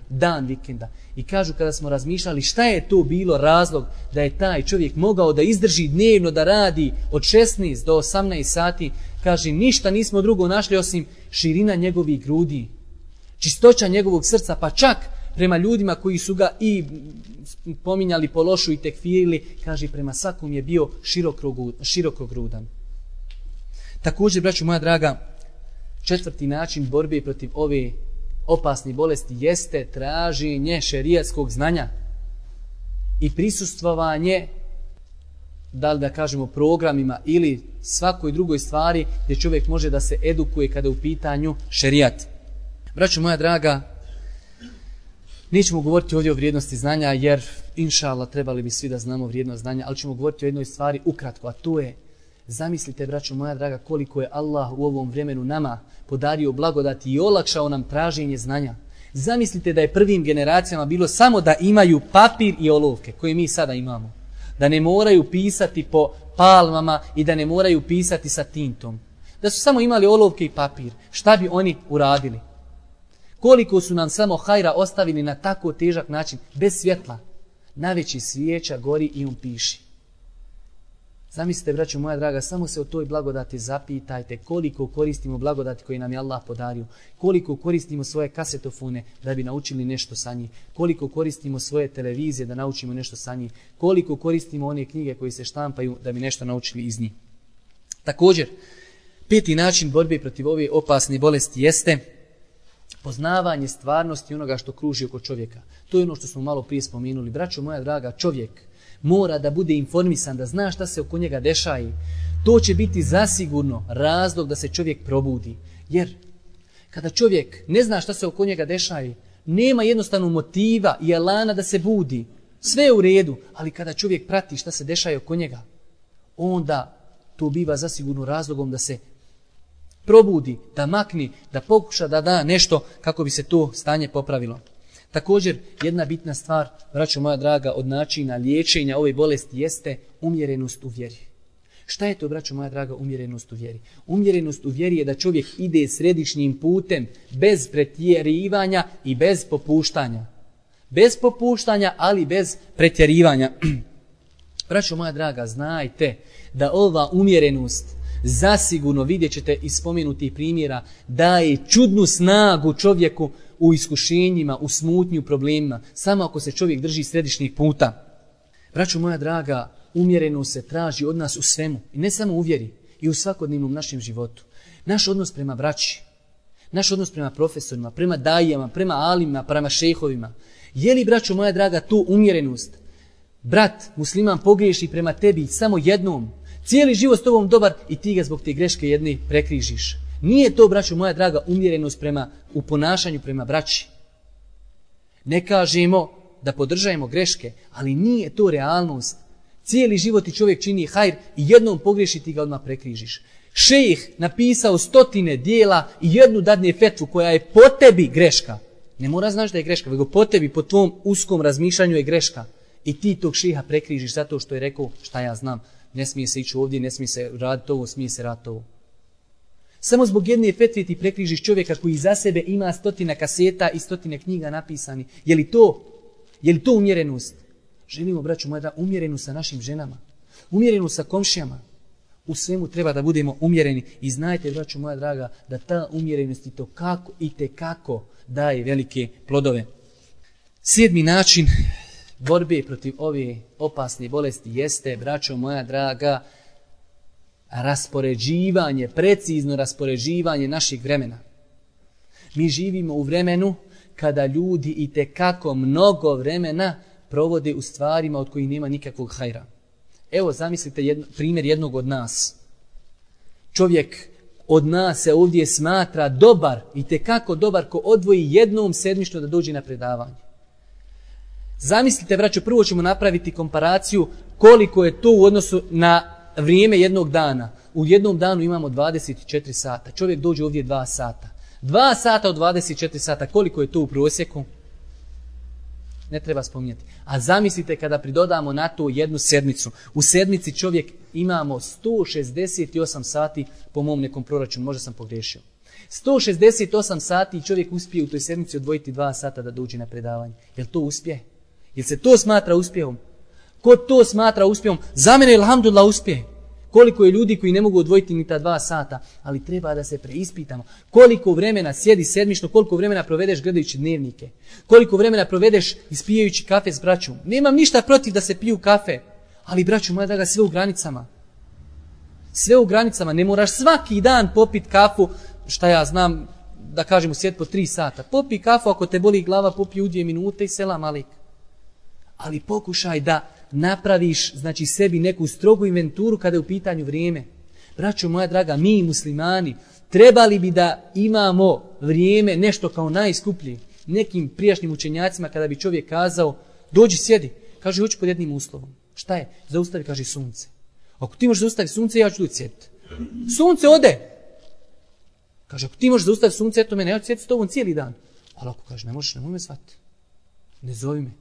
I kažu kada smo razmišljali šta je to bilo razlog da je taj čovjek mogao da izdrži dnevno da radi od 16 do 18 sati, kaže ništa nismo drugo našli osim širina njegovih grudi, čistoća njegovog srca, pa čak prema ljudima koji su ga i pominjali po lošu i tekfirili, kaže prema svakom je bio širokogrudan. Također, braćo moja draga, 4. način borbe protiv ove opasne bolesti jeste traženje šerijatskog znanja i prisustvovanje da li da kažemo programima ili svakoj drugoj stvari gdje čovjek može da se edukuje kada je u pitanju šerijat. Braćo moja draga, nećemo govoriti ovdje o vrijednosti znanja jer inša Allah trebali bi svi da znamo vrijednost znanja, ali ćemo govoriti o jednoj stvari ukratko, a to je, zamislite braćo moja draga koliko je Allah u ovom vremenu nama podario blagodati i olakšao nam traženje znanja. Zamislite da je prvim generacijama bilo samo da imaju papir i olovke koje mi sada imamo. Da ne moraju pisati po palmama i da ne moraju pisati sa tintom. Da su samo imali olovke i papir. Šta bi oni uradili? Koliko su nam samo hajra ostavili na tako težak način, bez svjetla. Najveći svijeća gori i on piši. Zamislite, braćo moja draga, samo se o toj blagodati zapitajte koliko koristimo blagodati koje nam je Allah podario, koliko koristimo svoje kasetofone da bi naučili nešto sa njih, koliko koristimo svoje televizije da naučimo nešto sa njih, koliko koristimo one knjige koje se štampaju da bi nešto naučili iz njih. Također, peti način borbe protiv ove opasne bolesti jeste poznavanje stvarnosti onoga što kruži oko čovjeka. To je ono što smo malo prije spomenuli. Braćo moja draga, čovjek mora da bude informisan, da zna šta se oko njega dešaje. To će biti zasigurno razlog da se čovjek probudi. Jer kada čovjek ne zna šta se oko njega dešaje, nema jednostavno motiva i elana da se budi. Sve je u redu, ali kada čovjek prati šta se dešaje oko njega, onda to biva zasigurno razlogom da se probudi, da makni, da pokuša da da nešto kako bi se to stanje popravilo. Također, jedna bitna stvar, braćo moja draga, od načina liječenja ove bolesti jeste umjerenost u vjeri. Šta je to, braćo moja draga, umjerenost u vjeri? Umjerenost u vjeri je da čovjek ide središnjim putem, bez pretjerivanja i bez popuštanja. Bez popuštanja, ali bez pretjerivanja. Braćo moja draga, znajte da ova umjerenost, zasigurno vidjet ćete iz spomenutih primjera, daje čudnu snagu čovjeku u iskušenjima, u smutnju, u problemima, samo ako se čovjek drži središnjih puta. Braćo moja draga, umjerenost se traži od nas u svemu, i ne samo u vjeri, i u svakodnevnom našem životu. Naš odnos prema braći, naš odnos prema profesorima, prema dajama, prema alimima, prema šejhovima. Je li, braćo moja draga, tu umjerenost? Brat, musliman, pogriješi prema tebi samo jednom, cijeli život s tobom dobar i ti ga zbog te greške jedne prekrižiš. Nije to, braćo moja draga, umjerenost u ponašanju prema braći. Ne kažemo da podržajemo greške, ali nije to realnost. Cijeli život ti čovjek čini hajr i jednom pogriješi ti ga odmah prekrižiš. Šejh napisao 100 dijela i jednu dadne fetvu koja je po tebi greška. Ne mora znaš da je greška, nego po tebi, po tvom uskom razmišljanju je greška. I ti tog šeha prekrižiš zato što je rekao šta ja znam. Ne smije se ići ovdje, ne smije se raditi ovo, smije se raditi ovo. Samo zbog jedne fetve ti prekrižiš čovjeka koji za sebe ima 100 kaseta i 100 knjiga napisani. Je li to umjerenost? Želimo, braću moja, da umjerenu sa našim ženama, umjerenu sa komšijama. U svemu treba da budemo umjereni. I znajte, braću moja draga, da ta umjerenost i tekako daje velike plodove. 7. način borbe protiv ove opasne bolesti jeste, braćo moja draga, raspoređivanje, precizno raspoređivanje naših vremena. Mi živimo u vremenu kada ljudi i tekako mnogo vremena provode u stvarima od kojih nema nikakvog hajra. Evo, zamislite primjer jednog od nas. Čovjek od nas se ovdje smatra dobar i tekako dobar ko odvoji jednom sedmično da dođe na predavanje. Zamislite, braćo, prvo ćemo napraviti komparaciju koliko je to u odnosu na vrijeme jednog dana. U jednom danu imamo 24 sata. Čovjek dođe ovdje 2 sata. 2 sata od 24 sata, koliko je to u prosjeku? Ne treba spominjati. A zamislite kada pridodamo na to jednu sedmicu. U sedmici čovjek imamo 168 sati po mom nekom proračunu. Možda sam pogriješio. 168 sati i čovjek uspije u toj sedmici odvojiti 2 sata da dođe na predavanje. Jel to uspjeh? Jel se to smatra uspjehom? Ko to smatra uspjehom? Za mene, alhamdulillah, uspjeh. Koliko je ljudi koji ne mogu odvojiti ni ta 2 sata, ali treba da se preispitamo. Koliko vremena sjedi sedmično, koliko vremena provedeš gledajući dnevnike, koliko vremena provedeš ispijajući kafe s braćom. Nemam ništa protiv da se piju kafe, ali braću moja draga, sve u granicama. Sve u granicama, ne moraš svaki dan popit kafu, šta ja znam, da kažem u svijet po 3 sata. Popi kafu, ako te boli glava, popi u 2 minute i selam alik. Ali pokušaj da napraviš znači sebi neku strogu inventuru kada je u pitanju vrijeme. Braćo moja draga, mi muslimani trebali bi da imamo vrijeme nešto kao najskuplji. Nekim prijašnjim učenjacima kada bi čovjek kazao dođi sjedi, kaže hoću pod jednim uslovom. Šta je? Zaustavi, kaže sunce. Ako ti možeš zaustaviti sunce, ja ću doći sjediti. Sunce ode. Kaže, ako ti možeš zaustaviti sunce, eto mene, ja ću sjediti s tobom cijeli dan. Ali ako kaže, ne možeš, nemoj me zvati. Ne zovi me.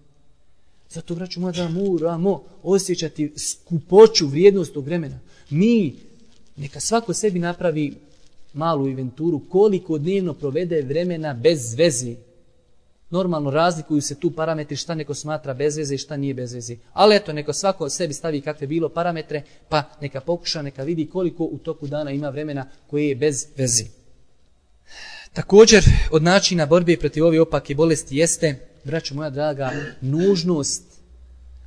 Zato, braću moja, da moramo osjećati skupoću, vrijednost tog vremena. Mi, neka svako sebi napravi malu inventuru, koliko dnevno provede vremena bez veze. Normalno razlikuju se tu parametri šta neko smatra bez veze i šta nije bez veze. Ali eto, neko svako sebi stavi kakve bilo parametre, pa neka pokuša, neka vidi koliko u toku dana ima vremena koje je bez veze. Također, od načina borbe protiv ove opake bolesti jeste, braćo moja draga, nužnost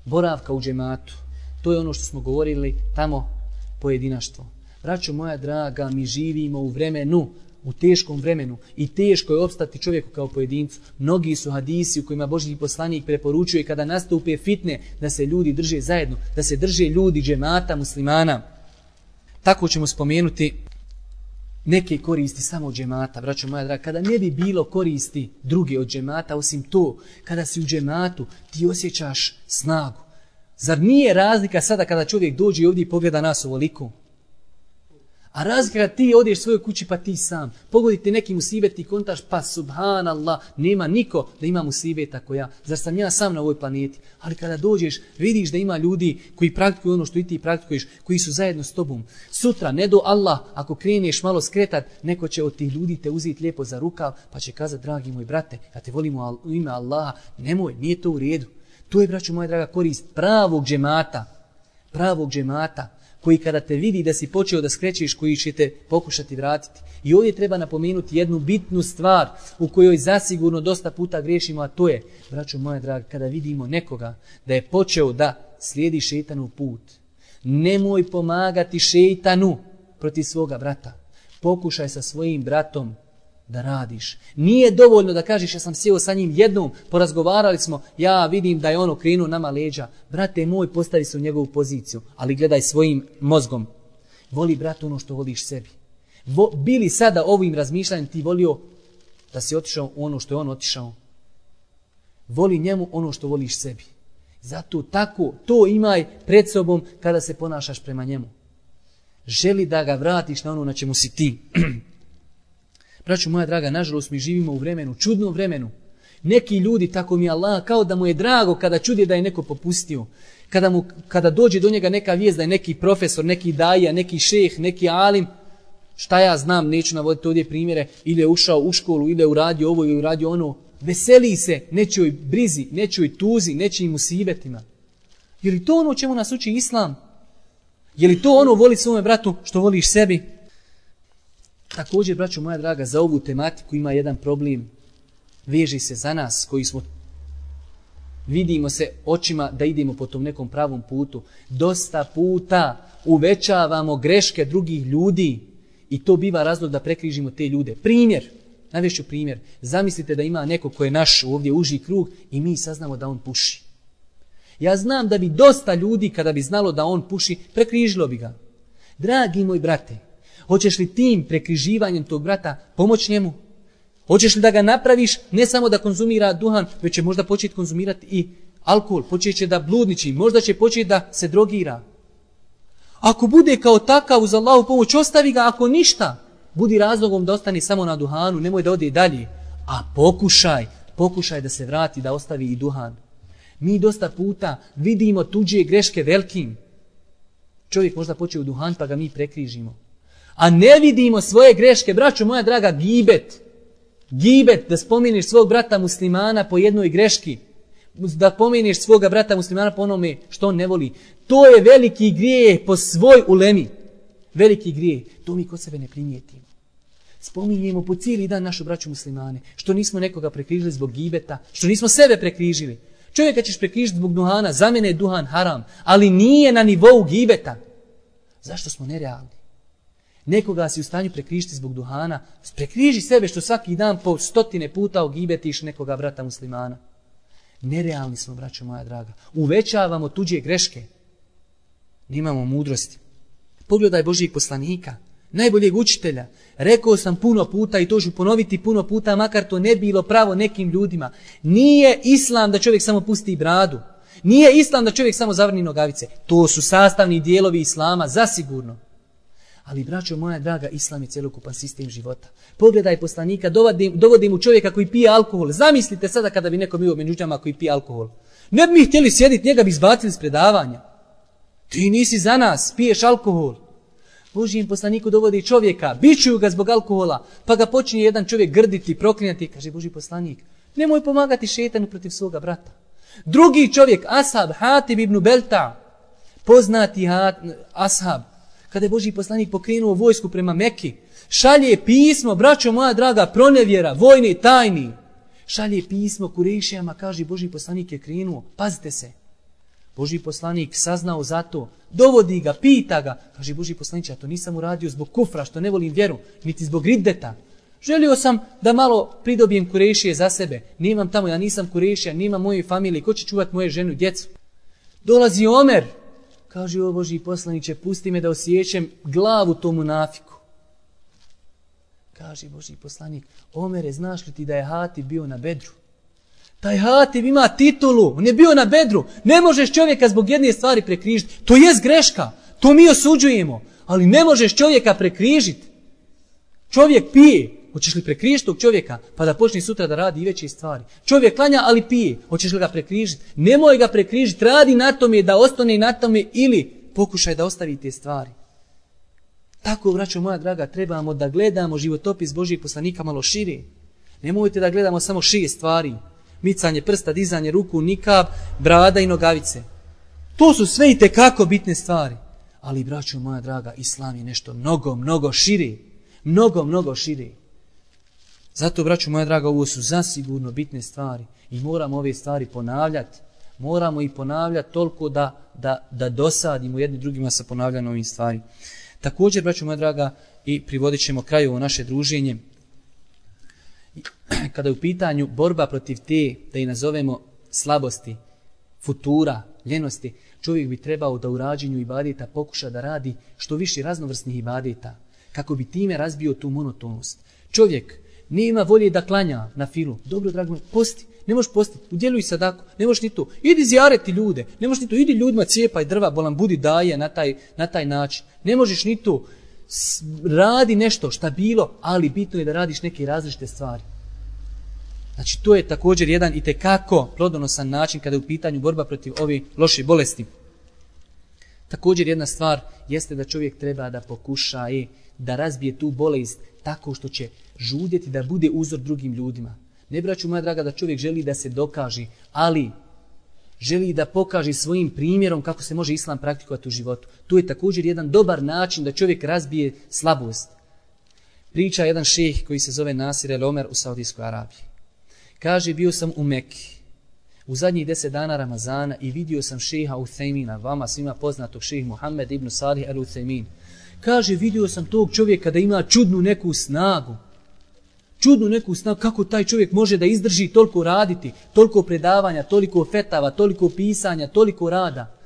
boravka u džematu. To je ono što smo govorili tamo pojedinaštvo. Braćo moja draga, mi živimo u vremenu, u teškom vremenu i teško je opstati čovjeku kao pojedincu. Mnogi su hadisi u kojima Božji poslanik preporučuje kada nastupe fitne da se ljudi drže zajedno, da se drže ljudi džemata muslimana. Tako ćemo spomenuti neke koristi samo od džemata, braćo moja draga. Kada ne bi bilo koristi druge od džemata, osim to, kada si u džematu, ti osjećaš snagu. Zar nije razlika sada kada čovjek dođe ovdje i pogleda nas ovoliko? A razlika kada ti odeš svojoj kući pa ti sam, pogodite neki musibet i kontaš pa subhanallah, nema niko da ima musibeta ako ja. Zar sam ja sam na ovoj planeti? Ali kada dođeš, vidiš da ima ljudi koji praktikuju ono što i ti praktikuješ, koji su zajedno s tobom. Sutra, ne do Allah, ako kreneš malo skretat, neko će od tih ljudi te uzeti lijepo za rukav, pa će kazati, dragi moj brate, ja te volim u ime Allaha, nemoj, nije to u redu. To je, braćo moja draga, korist pravog džemata, koji kada te vidi da si počeo da skrećeš, koji će te pokušati vratiti. I ovdje treba napomenuti jednu bitnu stvar u kojoj zasigurno dosta puta griješimo, a to je, braćo moja draga, kada vidimo nekoga da je počeo da slijedi šeitanov put. Nemoj pomagati šeitanu protiv svoga brata. Pokušaj sa svojim bratom da radiš. Nije dovoljno da kažeš ja sam sjeo sa njim jednom, porazgovarali smo, ja vidim da je ono krenuo nama leđa. Brate moj, postavi se u njegovu poziciju, ali gledaj svojim mozgom. Voli brat ono što voliš sebi. Bili sada ovim razmišljanjem ti volio da si otišao u ono što je on otišao? Voli njemu ono što voliš sebi. Zato tako, to imaj pred sobom kada se ponašaš prema njemu. Želi da ga vratiš na ono na čemu si ti. Braćo moja draga, nažalost mi živimo u vremenu, čudnom vremenu. Neki ljudi, tako mi Allah, kao da mu je drago kada čudi da je neko popustio. Kada dođe do njega neka vijest da je neki profesor, neki daja, neki šejh, neki alim, šta ja znam, neću navoditi ovdje primjere, ili je ušao u školu, ili je uradio ovo, ili je uradio ono, veseli se nečijoj brizi, nečijoj tuzi, nečijim musibetima. Je li to ono o čemu nas uči Islam? Je li to ono voli svome bratu što voliš sebi? Također, braćo moja draga, za ovu tematiku ima jedan problem. Veži se za nas koji smo, vidimo se očima da idemo po tom nekom pravom putu. Dosta puta uvećavamo greške drugih ljudi i to biva razlog da prekrižimo te ljude. Primjer, navešću primjer. Zamislite da ima neko ko je naš ovdje uži krug i mi saznamo da on puši. Ja znam da bi dosta ljudi kada bi znalo da on puši, prekrižilo bi ga. Dragi moj brate, hoćeš li tim prekriživanjem tog brata pomoći njemu? Hoćeš li da ga napraviš ne samo da konzumira duhan, već će možda početi konzumirati i alkohol, počet će da bludniči, možda će početi da se drogira. Ako bude kao takav uz Allahu pomoć, ostavi ga, ako ništa, budi razlogom da ostane samo na duhanu, nemoj da ode dalje. A pokušaj da se vrati, da ostavi i duhan. Mi dosta puta vidimo tuđe greške velikim. Čovjek možda počeo u duhan pa ga mi prekrižimo. A ne vidimo svoje greške, braćo moja draga, gibet, da spomeniš svog brata muslimana po jednoj greški, da pomeniš svoga brata muslimana po onome što on ne voli. To je veliki grijeh po svoj ulemi. Veliki grijeh. To mi kod sebe ne primijetimo. Spominjemo po cijeli dan našu braću muslimane. Što nismo nekoga prekrižili zbog gibeta, što nismo sebe prekrižili. Čovjeka ćeš prekrižiti zbog duhana, za mene je duhan haram, ali nije na nivou gibeta. Zašto smo nerealni? Nekoga si u stanju prekrižiti zbog duhana, prekriži sebe što svaki dan po 100 puta ogibetiš nekoga brata muslimana. Nerealni smo, braćo moja draga. Uvećavamo tuđe greške. Nemamo mudrosti. Pogledaj Božijeg poslanika, najboljeg učitelja. Rekao sam puno puta i to ću ponoviti puno puta, makar to ne bilo pravo nekim ljudima. Nije islam da čovjek samo pusti bradu. Nije islam da čovjek samo zavrni nogavice. To su sastavni dijelovi islama, zasigurno. Ali, braćo moja draga, islam je cjelokupan sistem života. Pogledaj poslanika, dovodi mu čovjeka koji pije alkohol. Zamislite sada kada bi neko bio među džama koji pije alkohol. Ne bi mi htjeli sjediti, njega bi izbacili s predavanja. Ti nisi za nas, piješ alkohol. Božijem poslaniku dovodi čovjeka, bičuju ga zbog alkohola, pa ga počinje jedan čovjek grditi, proklinjati. Kaže Božji poslanik, nemoj pomagati šetanu protiv svoga brata. Drugi čovjek, ashab, Hatib ibn Belta, poznati ashab, kada je Božji poslanik pokrenuo vojsku prema Meki, šalje pismo, braćo moja draga, pronevjera, vojne tajni. Šalje pismo Kurejšijama, kaže Božji poslanik je krenuo, pazite se. Božji poslanik saznao za to, dovodi ga, pita ga, kaže Božji poslanik, ja to nisam uradio zbog kufra, što ne volim vjeru, niti zbog riddeta. Želio sam da malo pridobijem Kurejšije za sebe. Nemam tamo, ja nisam Kurejšija, nemam moje familije, ko će čuvati moje ženu i djecu? Dolazi Omer, kaže o Božji poslaniče, pusti me da osjećam glavu tomu munafiku. Kaže Božji poslanik, Omere, znaš li ti da je Hatib bio na Bedru? Taj Hatib ima titulu, on je bio na Bedru. Ne možeš čovjeka zbog jedne stvari prekrižiti. To je greška, to mi osuđujemo, ali ne možeš čovjeka prekrižiti. Čovjek pije, hoćeš li prekrižiti tog čovjeka pa da počne sutra da radi i veće stvari? Čovjek klanja, ali pije, hoćeš li ga prekrižiti? Nemoj ga prekrižiti, radi na tome da ostane na tome ili pokušaj da ostavi te stvari. Tako, braćo moja draga, trebamo da gledamo životopis Božijeg poslanika malo šire. Nemojte da gledamo samo 6 stvari. Micanje prsta, dizanje ruku, nikab, brada i nogavice. To su sve i tekako bitne stvari. Ali, braćo moja draga, islam je nešto mnogo, mnogo šire. Mnogo, mnogo šire. Zato, braćo moja draga, ovo su zasigurno bitne stvari. I moramo ove stvari ponavljati. Moramo ih ponavljati toliko da dosadimo jedni drugima sa ponavljanjem ovih stvari. Također, braćo moja draga, i privodit ćemo kraju ovo naše druženje. Kada je u pitanju borba protiv te, da i nazovemo slabosti, futura, ljenosti, čovjek bi trebao da u rađenju ibadeta pokuša da radi što više raznovrsnih ibadeta, kako bi time razbio tu monotonost. Čovjek nema volje da klanja na filu. Dobro, drago, posti. Ne možeš postiti, udjeluj sadaku, ne možeš ni to. Idi zjareti ljude, ne možeš ni to. Idi ljudima cijepaj drva, bolan budi daje na taj način. Ne možeš ni to. Radi nešto šta bilo, ali bitno je da radiš neke različite stvari. Znači, to je također jedan itekako plodonosan način kada je u pitanju borba protiv ove loše bolesti. Također jedna stvar jeste da čovjek treba da pokuša da razbije tu bolest tako što će žudjeti da bude uzor drugim ljudima. Ne, braću moja draga, da čovjek želi da se dokaže, ali želi da pokaže svojim primjerom kako se može islam praktikovati u životu. To je također jedan dobar način da čovjek razbije slabost. Priča jedan šejh koji se zove Nasir el Omer u Saudijskoj Arabiji. Kaže, bio sam u Mekki u zadnjih 10 dana Ramazana i vidio sam šejha Uthejmina, vama svima poznatog šejh Muhammed ibn Salih al Uthejmin. Kaže, vidio sam tog čovjeka da ima čudnu neku snagu. Čudnu neku snagu, kako taj čovjek može da izdrži toliko raditi, toliko predavanja, toliko fetava, toliko pisanja, toliko rada.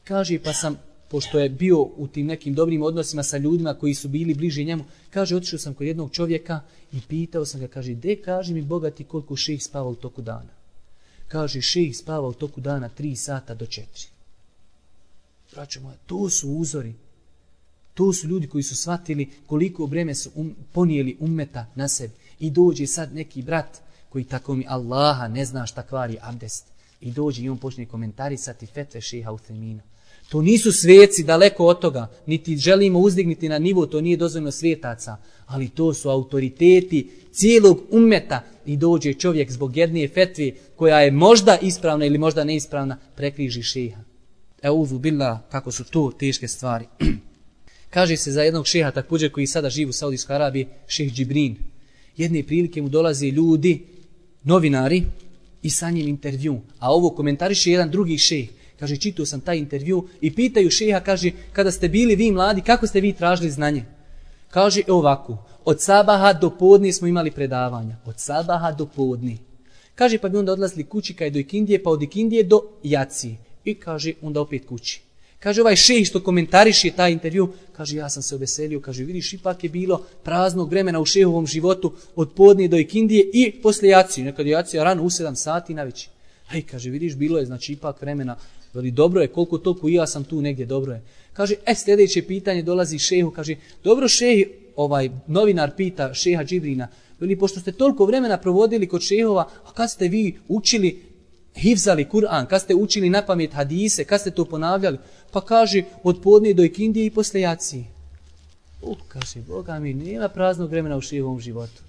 Kaže, pa sam, pošto je bio u tim nekim dobrim odnosima sa ljudima koji su bili bliži njemu, kaže, otišao sam kod jednog čovjeka i pitao sam ga, kaže, kaži mi bogati koliko šejh spava u toku dana. Kaže, šejh spava u toku dana 3 sata do 4. Braćo moja, to su uzori. To su ljudi koji su shvatili koliko breme su ponijeli ummeta na sebi. I dođe sad neki brat koji tako mi Allaha ne zna šta kvari abdest. I dođe i on počne komentarisati fetve šejha Uthejmina. To nisu sveci, daleko od toga, niti želimo uzdigniti na nivo, to nije dozvoljeno svetaca, ali to su autoriteti cijelog ummeta i dođe čovjek zbog jedne fetve koja je možda ispravna ili možda neispravna, prekriži šeha. Euzu billah, kako su to teške stvari. Kaže se za jednog šeha također koji sada živi u Saudijskoj Arabiji, šejh Džibrin. Jedne prilike mu dolaze ljudi, novinari, i sa njim intervju. A ovo komentariše jedan drugi šejh. Kaže, čitao sam taj intervju i pitaju šeha, kaže, kada ste bili vi mladi, kako ste vi tražili znanje? Kaže, ovako, od sabaha do podne smo imali predavanja. Od sabaha do podne. Kaže, pa bi onda odlazili kući kad je do ikindije, pa od ikindije do jacije. I kaže, onda opet kući. Kaže, ovaj šejh što komentariše taj intervju, kaže, ja sam se oveselio, kaže, vidiš, ipak je bilo praznog vremena u šehovom životu od podne do ikindije i poslije jacije. Nekad je jacija rano u 7 sati na večer. Aj, kaže, vidiš, bilo je, znači, ipak vremena, veli, dobro je, koliko toliko i ja sam tu negdje, dobro je. Kaže, sljedeće pitanje dolazi šehu, kaže, dobro šejh, ovaj novinar pita šeha Džibrina, veli, pošto ste toliko vremena provodili kod šehova, a kad ste vi učili, hifzali Kur'an, kad ste učili na pamet hadise, kad ste to ponavljali, pa kaže, od podne do ikindije i posle jacije. Kaže, Boga mi, nema praznog vremena u šehovom životu.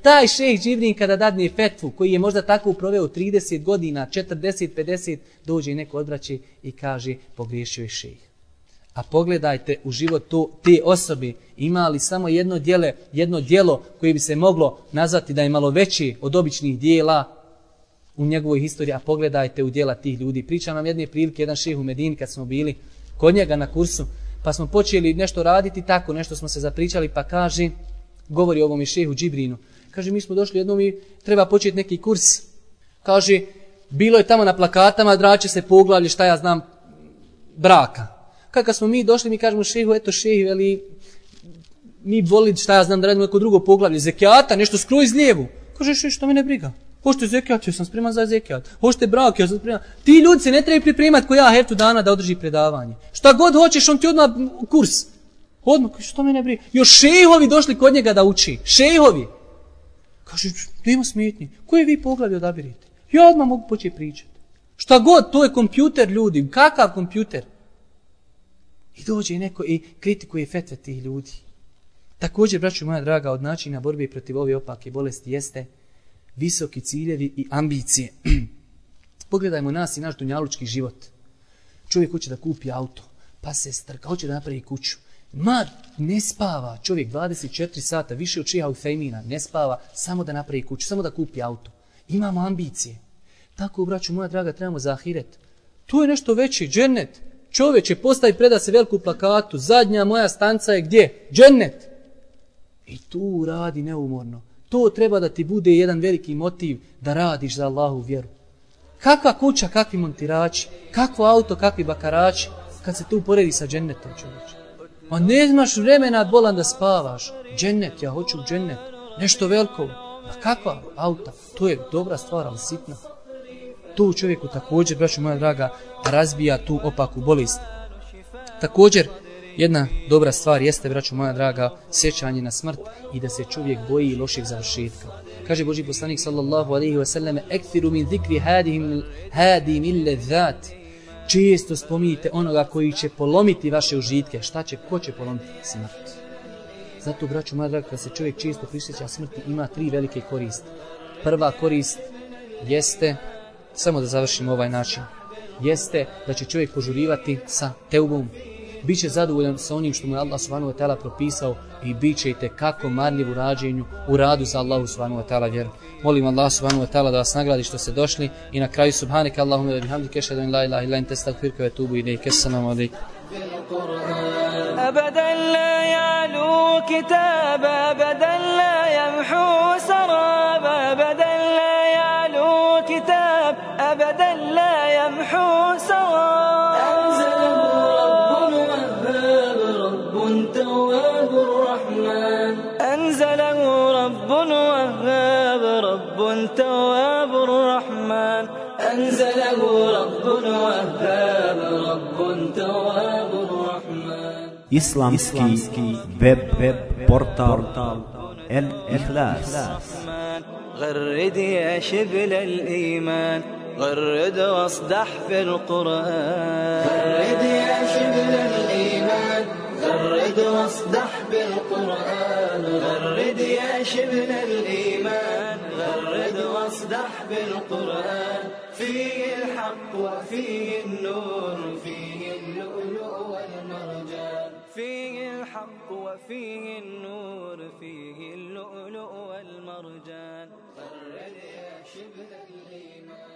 Taj šejh Džibrin kada dadne fetvu, koji je možda tako proveo 30 godina, 40, 50, dođe i neko odvraća i kaže, pogriješio je šejh. A pogledajte u život te osobe, ima li samo jedno djelo koje bi se moglo nazvati da je malo veće od običnih dijela u njegovoj historiji, a pogledajte u djela tih ljudi. Pričam vam jedne prilike, jedan šejh u Medini kad smo bili kod njega na kursu, pa smo počeli nešto raditi tako, nešto smo se zapričali, pa kaže, govori o ovom i šejhu Džibrinu, kaže, mi smo došli jednom i treba početi neki kurs. Kaže, bilo je tamo na plakatama, drače se poglavlje, šta ja znam, braka. Kad smo mi došli, mi kažemo šejhu, eto šejh, veli, mi voli, šta ja znam, da radimo neko drugo poglavlje, zekijata, nešto skroz lijevu. Kaže, šejh, što me ne briga. Hoćete zekijat, ja sam spreman za zekijat. Hoćete brak, ja sam spreman. Ti ljudi se ne trebaju pripremati ko ja heftu dana da održi predavanje. Šta god hoćeš, on ti odmah kurs. Odmah, što me ne briga. Još šejhovi došli kod njega da uči. Šejhovi. Kaže, nema smetnji. Koje vi poglavlje odabirite? Ja odmah mogu početi pričati. Šta god, to je kompjuter ljudi. Kakav kompjuter? I dođe neko i kritikuje fetve tih ljudi. Također, braćo moja draga, od načina borbe protiv ove opake bolesti jeste visoki ciljevi i ambicije. Pogledajmo nas i naš dunjalučki život. Čovjek hoće da kupi auto, pa se strka, hoće da napravi kuću. Ne spava čovjek 24 sata, više od šeha Ufejmina, ne spava samo da napravi kuću, samo da kupi auto. Imamo ambicije. Tako, braćo moja draga, trebamo za ahiret. To je nešto veće, džennet. Čovječe, postavi preda se veliku plakatu, zadnja moja stanca je gdje? Džennet. I tu radi neumorno. To treba da ti bude jedan veliki motiv da radiš za Allahu vjeru. Kakva kuća, kakvi montirači, kakvo auto, kakvi bakarači, kad se tu poredi sa džennetom, čovječe. Ma ne imaš vremena bolan da spavaš. Džennet, ja hoću džennet. Nešto veliko. Ma kakva auta? To je dobra stvar, ali sitna. To čovjeku također, braćo moja draga, razbija tu opaku bolest. Također, jedna dobra stvar jeste, braćo moja draga, sjećanje na smrt i da se čovjek boji lošeg završetka. Kaže Božji poslanik sallallahu alejhi ve selleme: "Ekthiru min zikri hadim illazat." Često spominjite onoga koji će polomiti vaše užitke. Ko će polomiti? Smrt. Zato, braćo moja draga, kad se čovjek često prisjeća smrti, ima 3 velike koristi. Prva korist jeste, samo da završimo ovaj način, jeste da će čovjek požurivati sa teubom. Biće zadovoljan sa onim što mu je Allah subhanahu wa ta'ala propisao i bit će i tekako marljiv u radu za Allahu subhanahu wa ta'ala vjeru. Molim Allah subhanahu wa ta'ala da vas nagradi što ste došli i na kraju subhanaka Allahumma wa bihamdika ashhadu an la ilaha illa anta astaghfiruka wa atubu ilayk. Assalamu alaykum. أبدا لا يعلو كتاب أبدا لا يمحو سراب أبدا لا يعلو كتاب أبدا لا يمحو سراب أنزله رب وهاب رب تواب الرحمن أنزله رب وهاب رب تواب الرحمن Islamski web portal El Ikhlas. غرد يا شبل الإيمان غرد واصدح في القرآن غرد يا شبل الإيمان غرد واصدح بالقرآن غرد يا شبل الإيمان غرد واصدح بالقرآن فيه الحق وفيه النور فيه اللؤلؤ والمرجان فيه الحق وفيه النور فيه اللؤلؤ والمرجان غرد يا شبل الإيمان